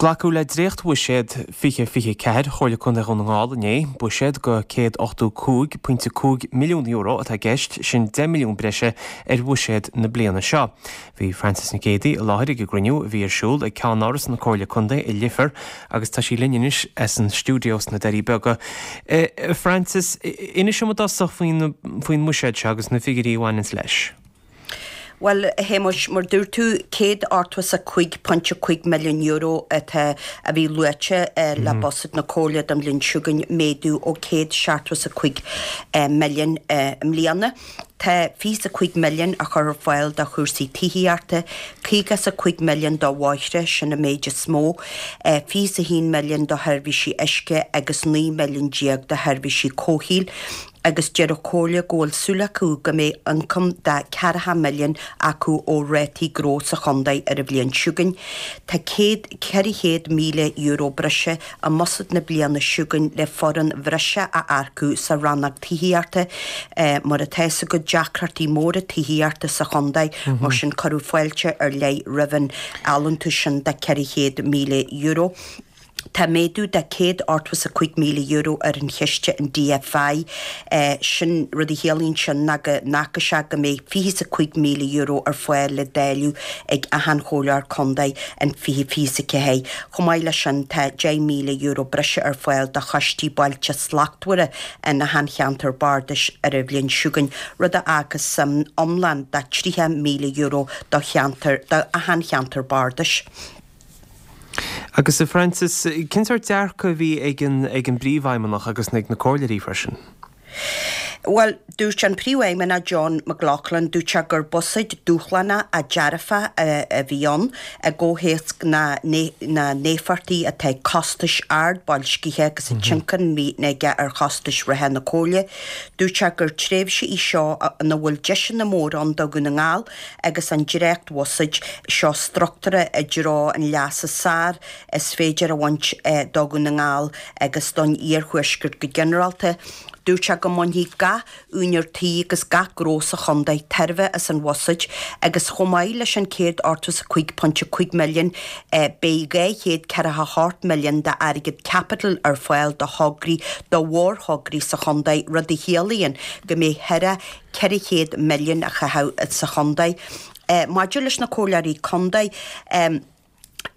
Glacadh le dréachtbhuiséad fiche fiche a ceathair Chomhairle Contae Dhún na nGall inné, buiséad de céad ochtó cúig pointe cúig milliún euro atá i gceist, sin deich milliún breise ar bhuiséad na bliana seo. Bhí Frances Nic Géadaigh i láthair ag an gcruinniú a bhí ar siúl ag ceannáras na Comhairle Contae i Leifear agus tá sí linn anois as an stiúideo sna Doirí Beaga. Frances, inis dom i dtosach faoin mbuiséad seo agus na figiúirí a bhaineanns leis. Bhuel, a Shéamuis, mar dúirt tú, céad ochtó is a cúig pointe cúig milliún euro atá, a bhí luaite le buiséad na Comhairle don bhliain seo chugainn, méadú ó céad seachtó is a cúig milliún i mbliana. Tá fiche is a cúig milliún á chur ar fáil do chúrsaí tithíochta, caoga is a cúig milliún do bhóithre, sin an méid is mó, fiche is a haon milliún do sheirbhísí uisce agus naoi milliún déag do sheirbhísí comhshaoil. Agus deir an Chomhairle go bhfuil súil acu go mbeidh ioncam de ceathracha milliún acu ó rátaí gnó sa chontae ar an bhliain seo chugainn. Tá céad, ceithre chéad míle euro breise i mbuiséad na bliana seo chugainn le foireann bhreise a earcú sa rannóg tithíochta. Mar atá fhios agat deacrachtaí móra tithíochta sa chontae, mar sin cuireadh fáilte ar leith roimh an allúntas sin de ceithre chéad míle euro. Tá méadú de céad ochtó is a cúig míle euro ar an chiste an DFI. Sin rud a chiallaíonn sin ná go bhfágfaidh sé go mbeidh fiche is a cúig míle euro ar fáil le dáileadh ag achan chomhairleoir contae in fiche fiche is a ceathair. Chomh maith leis sin tá deich míle euro breise ar fáil do choistí Bailte Slachtmhara in achan cheantar bardais ar an bhliain seo chugainn, rud a fhágfas suim iomlán de tríocha míle euro do cheantar do achan cheantar bardais. Agus a Frances, cén sórt dearcadh a bhí ag an ag an bPríomhfheidhmeannach agus ag na comhairleoirí freisin? Bhuel, dúirt an Príomhfheidhmeannach John McLaughlin, dúirt sé gur buiséad dúshlánach ach dearfach a bhí ann i gcomhthéacs na n-éifeachtaí atá ag costais ard boilscithe agus an tionchar a bhíonn aige ar chostais reatha na Comhairle. Dúirt sé gur tréimhse í seo ina bhfuil deiseanna móra ann do Dhún na nGall agus an dréachtbhuiséad seo struchtúrtha i dtreo an leas is fearr is féidir a bhaint do Dhún na nGall agus don iarthuaisceart go ginearálta. Dúirt sé go mbainfidh gach úinéir tí agus gach gnó sa chontae tairbhe as an bhuiséad agus chomh maith leis an céad ochtó is a cúig pointe cúig milliún beidh dhá chéad ceathracha hocht milliún d'airgead caipitil ar fáil do thograí do mhórthograí sa chontae, rud a chiallaíonn go mbeidh thar ceithre chéad milliún á chaitheamh sa chontae. Maidir leis na comhairleoirí contae,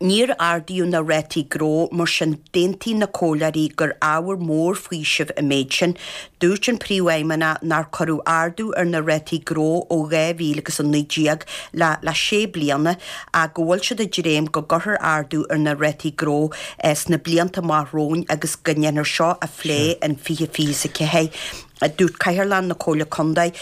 Níor ardaíodh na rátaí gnó, mar sin d'aontaigh na comhairleoirí gur ábhar mór faoisimh an méid sin. Dúirt an Príomhfheidhmeannach nár cuireadh ardú ar na rátaí gnó ó dhá mhíle agus a naoi déag le le sé bliana ach go bhfuil siad ag dréim go gcuirfear ardú ar na rátaí gnó sna blianta amach romhainn agus go ndéanfar seo a phlé in fiche fiche is a ceathair. Dúirt Cathaoirleach na Comhairle Contae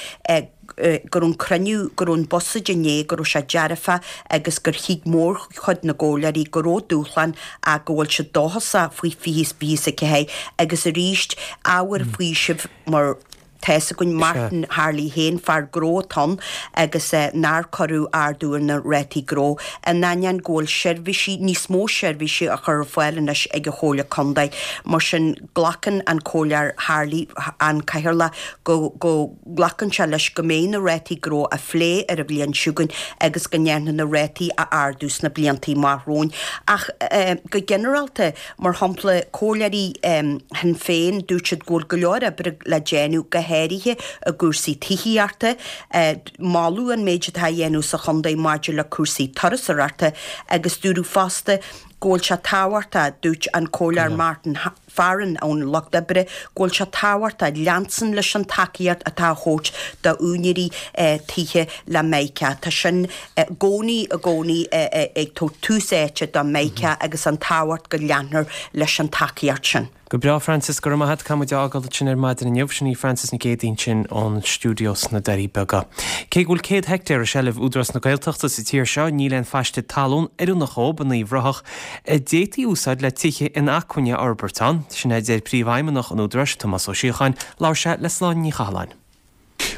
go raibh an cruinniú, go raibh an buiséad inné, go raibh sé dearfach agus gur thuig mórchuid na gcomhairleoirí go raibh dúshlán ach go bhfuil siad dóchasach faoi fiche fiche is a ceathair agus arís ábhar faoisimh mar tá fhios againn Martin Harley féin, fear gnó atá ann agus nár cuireadh ardú ar na rátaí gnó in ainneoin go bhfuil seirbhísí, níos mó seirbhísí á chur ar fáil anois ag an Chomhairle Contae. Mar sin glacann an Comhairleoir Harley, an Cathaoirleach, go go nglacann sé leis go mbeidh na rátaí gnó á phlé ar an bhliain seo chugainn agus go ndéanfar na rátaí a ardú sna blianta amach romhainn. Ach go ginearálta, mar shampla, comhairleoirí Shinn Féin, dúirt siad go bhfuil go leor oibre le déanamh, go háirithe i gcúrsaí tithíochta. Moladh an méid atá á dhéanamh sa chontae maidir le cúrsaí turasóireachta agus dúradh fosta go bhfuil sé tábhachtach, dúirt an Comhairleoir Martin Farren ón Lucht Oibre, go bhfuil sé tábhachtach leanstan leis an tacaíocht atá á thabhairt d'úinéirí tithe le Mica. Tá sin i gcónaí, i gcónaí ag tabhairt tús áite do Mica agus an tábhacht go leanfar leis an tacaíocht sin. Go breá, Frances, go raibh maith agat. Caithfidh muid a fhágáil ansin ar maidin inniu. Sin í Frances Nic Géadaigh ansin ón stiúideo sna Doirí Beaga. Cé go bhfuil céad heictéar i seilbh Údarás na Gaeltachta sa tír seo, níl aon phaiste talún oiriúnach dhóibh in Uíbh Ráthach. a d'fhéadfaí úsáid le tithe inacmhainne a fhorbairt ann. Sin é a deir Príomhfheidhmeannach an Údaráis, Tomás Ó Síocháin. Labhair sé le Sláine Ní Chathalláin.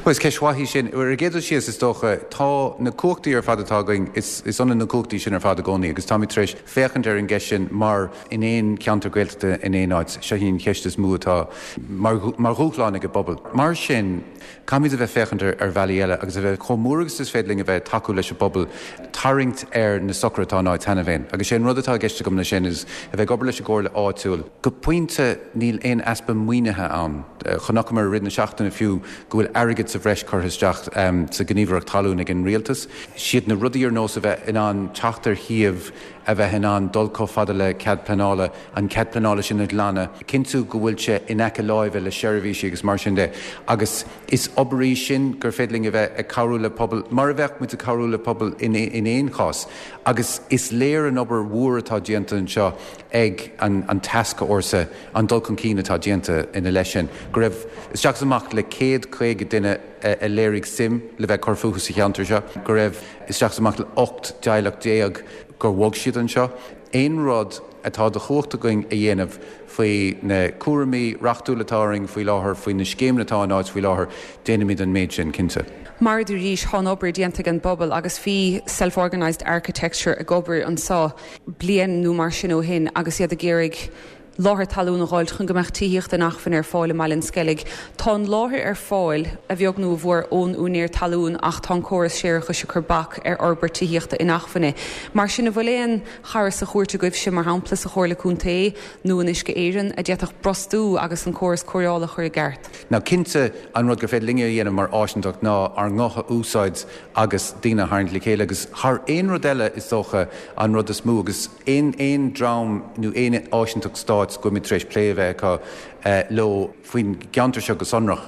Bhuel, is ceist mhaith í sin. Ar an gcéad dul síos, is dócha, tá na cumhachtaí ar fad atá againn, is ionann na cumhachtaí sin ar fad i gcónaí agus táimid tar éis féachaint ar an gceist sin mar in aon cheantar Gaeltachta in aon áit, seo í an cheist is mó atá mar dhúshlán ag an bpobal. Mar sin, caithfimid a bheith féachaint ar bhealaí eile agus a bheith chomh mór agus is féidir linn a bheith ag tacú leis an bpobal tarraingt ar na socruithe atá in áit cheana féin. Agus sé an rud atá i gceist agam leis sin is a bheith ag obair leis an gcomhairle áitiúil. Go pointe, níl aon easpa maoinithe ann. Chonaiceamar i rith na seachtaine fiú go bhfuil airgead sa bhreis curtha isteach sa Ghníomhaireacht Talún ag an Rialtas. Siad na rudaí ar nós a bheith in ann teacht ar shuíomh, a bheith in ann dul chomh fada le cead pleanála, an cead pleanála sin a ghlanadh, cinntiú go bhfuil sé in aice láimhe le seirbhísí agus mar sin de. Agus is obair í sin gur féidir linn a bheith ag cabhrú le pobal mar a bheadh muid ag cabhrú le pobal in aon chás. Agus is léir an obair mhór atá déanta anseo ag an tascfhórsa, an dul chun cinn atá déanta ina leith sin, go raibh isteach is amach le céad caoga duine a léirigh suim le bheith ag cur fúthu sa cheantar seo, go raibh isteach is amach le ocht dteaghlach déag gur bhog siad anseo. Aon rud atá de chumhacht againn a dhéanamh faoi na cúraimí reachtúla atá orainn faoi láthair, faoi na scéimeanna atá in áit faoi láthair, déanfaimid an méid sin, cinnte. Mar a dúraís, tá an obair déanta ag an bpobal agus bhí Self Organised Architecture ag obair anseo bliain nó mar sin ó shin agus iad ag iarraidh láthair talún a dh'fháilt chun go mbeadh tithíocht inacmhainne ar fáil i mBaile an Sceilg. Tá an láthair ar fáil, a bheag nó a mhór, ón úinéir talún ach tá an córas séarachais ag cur bac ar fhorbairt tithíochta inacmhainne. Mar sin, an bhfuil aon chara sa chúirt agaibhse, mar shampla sa Chomhairle Contae nó in Uisce Éireann, a d'fhéadfadh brostú agus an córas cóireála a chur i gceart? Now cinnte, an rud gur féidir linne a dhéanamh mar áisinteacht ná ár nguth a úsáid agus daoine a tharraingt le chéile agus thar aon rud eile is dócha an rud is mó agus aon aon dream nó aon áisinteacht stáit go bhfuilimid tar éis plé a bheith acu leo faoin gceantar seo go sonrach,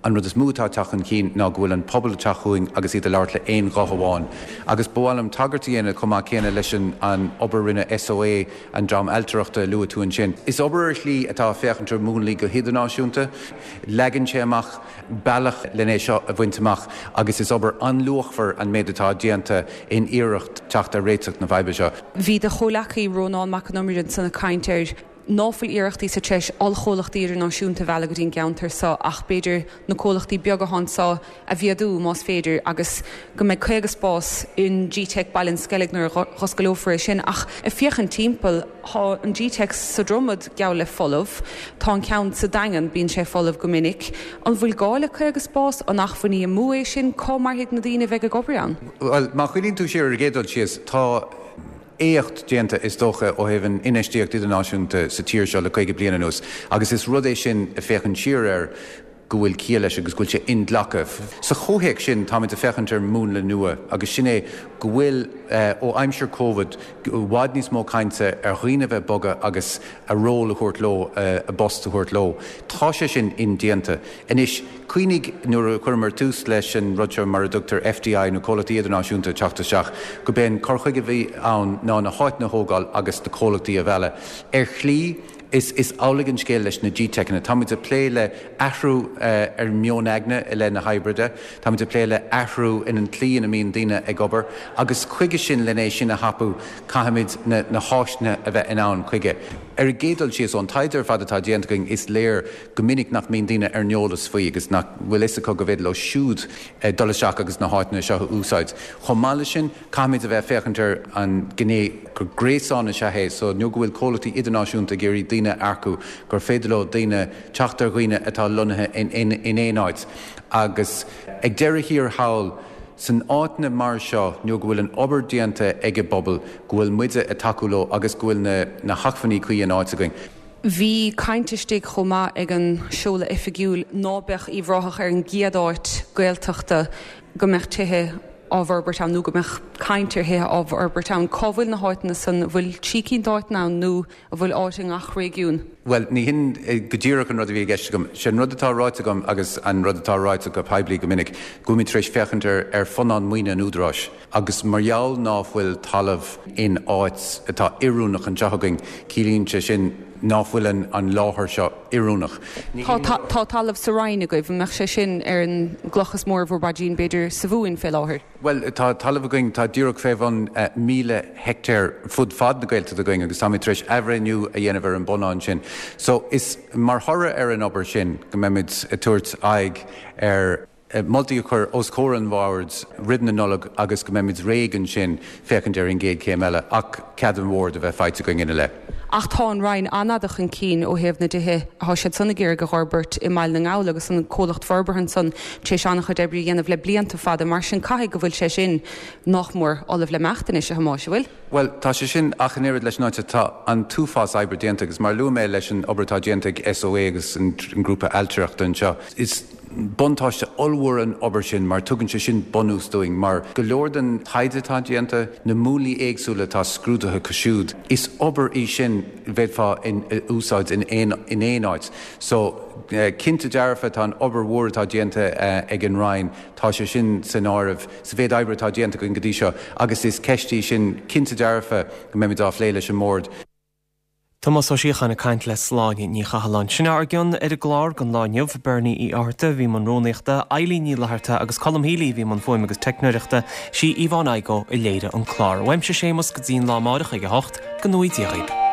an rud is mó atá ag teacht chun cinn ná go bhfuil an pobal ag teacht chugainn agus iad ag labhairt le aon ghuth amháin. Agus ba mhaith liom tagairt a dhéanamh chomh maith céanna leis an an obair a rinne SOA, an dream ailtireachta a luaigh tú ansin. Is obair ar shlí atá ag féachaint ar mhúnlaí go hidirnáisiúnta. Leagann sé amach bealach len é seo a bhaint amach agus is obair an-luachmhar an méid atá déanta in iarracht teacht ar réiteach na faidhbe seo. Bhí do chomhleacaí Rónán Mac Con Iomaire ansan ag caint ar ná fuil iarrachtaí sa treis ollchomhlachtaí idirnáisiúnta a mhealladh go dtí an gceantar so ach b'fhéidir na comhlachtaí beaga atá anso a mhéadú más féidir agus go mbeidh caoga spás in G-Teic Baile an Sceilg nuair a dh'oscaileofar é sin ach ag féachaint timpeall tá an G-Teic sa Dromad geall le folamh, tá an ceann sa Daingean, bíonn sé folamh go minic. An bhfuil gá le caoga spás? An acmhainní amú é sin? Cá mairfidh na daoine a bheidh ag obair ann? Bhuel, má chuimhníonn tú siar ar an gcéad dul síos, tá éacht déanta, is dócha, ó thaobh an infheistíocht idirnáisiúnta sa tír seo le caoga bliain anuas agus is rud é sin a féachaint siar air go bhfuil ciall leis agus go bhfuil sé inghlactha. Sa chomhthéacs sin, táimid ag féachaint ar mhúnla nua agus sin é go bhfuil, ó aimsir Covid, i bhfad níos mó cainte ar dhaoine a bheith ag bogadh agus a ról a thabhairt leo, a bpost a thabhairt leo. Tá sé sin indéanta. Anois, cuimhnigh nuair a chuireamar tús leis an rud seo mar a dtugtar FDI nó comhlachtaí idirnáisiúnta ag teacht isteach, go b'é an cur chuige a bhí ann ná na háiteanna a thógáil agus na comhlachtaí a mhealladh. Ar shlí, is is amhlaidh an scéal leis na G-Teiceanna. Táimid ag plé le athrú ar mheon aigne i leith na hoibre de, táimid ag plé le athrú in an tslí ina mbíonn daoine ag obair agus chuige sin, len é sin a thapú, caithfimid na na háiseanna a bheith in ann chuige. Ar an gcéad dul síos, ón taighde ar fad atá déanta againn, is léir go minic nach mbíonn daoine ar an eolas faoi agus nach bhfuil fhios acu go bhféidir leo siúd dul isteach agus na háiteanna seo a úsáid. Chomh maith leis sin, caithfimid a bheith ag féachaint ar an ghné gur gréasán is ea é so nuair go bhfuil comhlachtaí idirnáisiúnta ag iarraidh daoine a earcú gur féidir leo daoine teacht ar dhaoine atá lonnaithe in aon áit agus ag deireadh thiar thall san áiteanna mar seo nuair go bhfuil an obair déanta ag an bpobal go bhfuil muide ag tacú leo agus go bhfuil na na hacmhainní cuí in áit againn. Bhí caint istigh chomh maith ag an seoladh oifigiúil ná beadh Uíbh Ráthach ar an gcéad áit Gaeltachta go mbeadh tithe á bhforbairt ann nó go mbeadh caint ar thithe á bhforbairt ann. Cá bhfuil na háiteanna san? An bhfuil trí cinn d'áiteanna ann nó an bhfuil áit i ngach réigiún? Bhuel, ní hin go díreach an rud a bhí i gceist agam. Sé an rud atá ráite agam agus an rud atá ráite go poiblí go minic, go bhfuilimid tar éis féachaint ar ar phunann maoine an Údaráis agus mar gheall ná fuil talamh in áit atá oiriúnach anseo againn, ciallaíonn sé sin, ná fuil an láthair seo oiriúnach. Tá talamh sa Rinn agaibh, an mbeadh sé sin ar an gcloch is mó ar bhur bpaidrín b'fhéidir sa Mhumhain fé láthair? Bhuel, tá talamh againn, tá díreach fé bhun míle heicteár fud fad na Gaeltachta againn agus táimid tar éis athbhreithniú a dhéanamh ar an bpunann sin. So, is mar thoradh ar an obair sin go mbeimid ag tabhairt aghaidh ar moltaí a chur os comhair an Bhoird roimh na Nollag agus go mbeimid réidh ansin féachaint ar an gcéad chéim eile ach cead an Bhoird a bheith faighte againn ina leith. Ach tá an Roinn an-fhada chun cinn ó thaobh na dtithe atá siad san ag iarraidh a dh'fhorbairt i mBaile na nGall agus an comhlacht forbartha ansan tar éis an-chuid oibre a dhéanamh le blianta fada, mar sin caithfidh go bhfuil sé sin nach mór ullamh le imeacht anois, a Thomáis, an bhfuil? Bhuel, tá sé sin ach an oiread leis an áit atá an t-uafás oibre déanta agus mar a luaigh mé leis an obair atá déanta ag SOA agus an grúpa ailtireachta anseo, is buntáiste ollmhór an obair sin mar tugann sé sin bunús dúinn mar go leor den taighde atá déanta, na múnlaí éagsúla atá scrúdaithe acu siúd, is obair í sin a bhféadfá a úsáid in aon in aon áit. So, cinnte dearfa tá an obair mhór atá déanta ag an Roinn, tá sé sin san áireamh sa mhéid oibre atá déanta againn go dtí seo agus is ceist í sin cinnte dearfa go mbeimid á phlé leis an mBord. Tomás Ó Síocháin ag caint le Sláine Ní Chathalláin. Sin ár gcion ar an gclár don lá inniu, Bernie Uí Fhátharta a bhí i mbun rúnaíochta, Eilín Ní Fhlatharta agus Colm Healy a bhí i mbun fuaime agus teicneoireachta, sí Yvonne Igoe a léirigh an clár. Uaimse Séamus go dtí an lá amáireach ag a hocht, go ngnóthaí Dia dhaoib.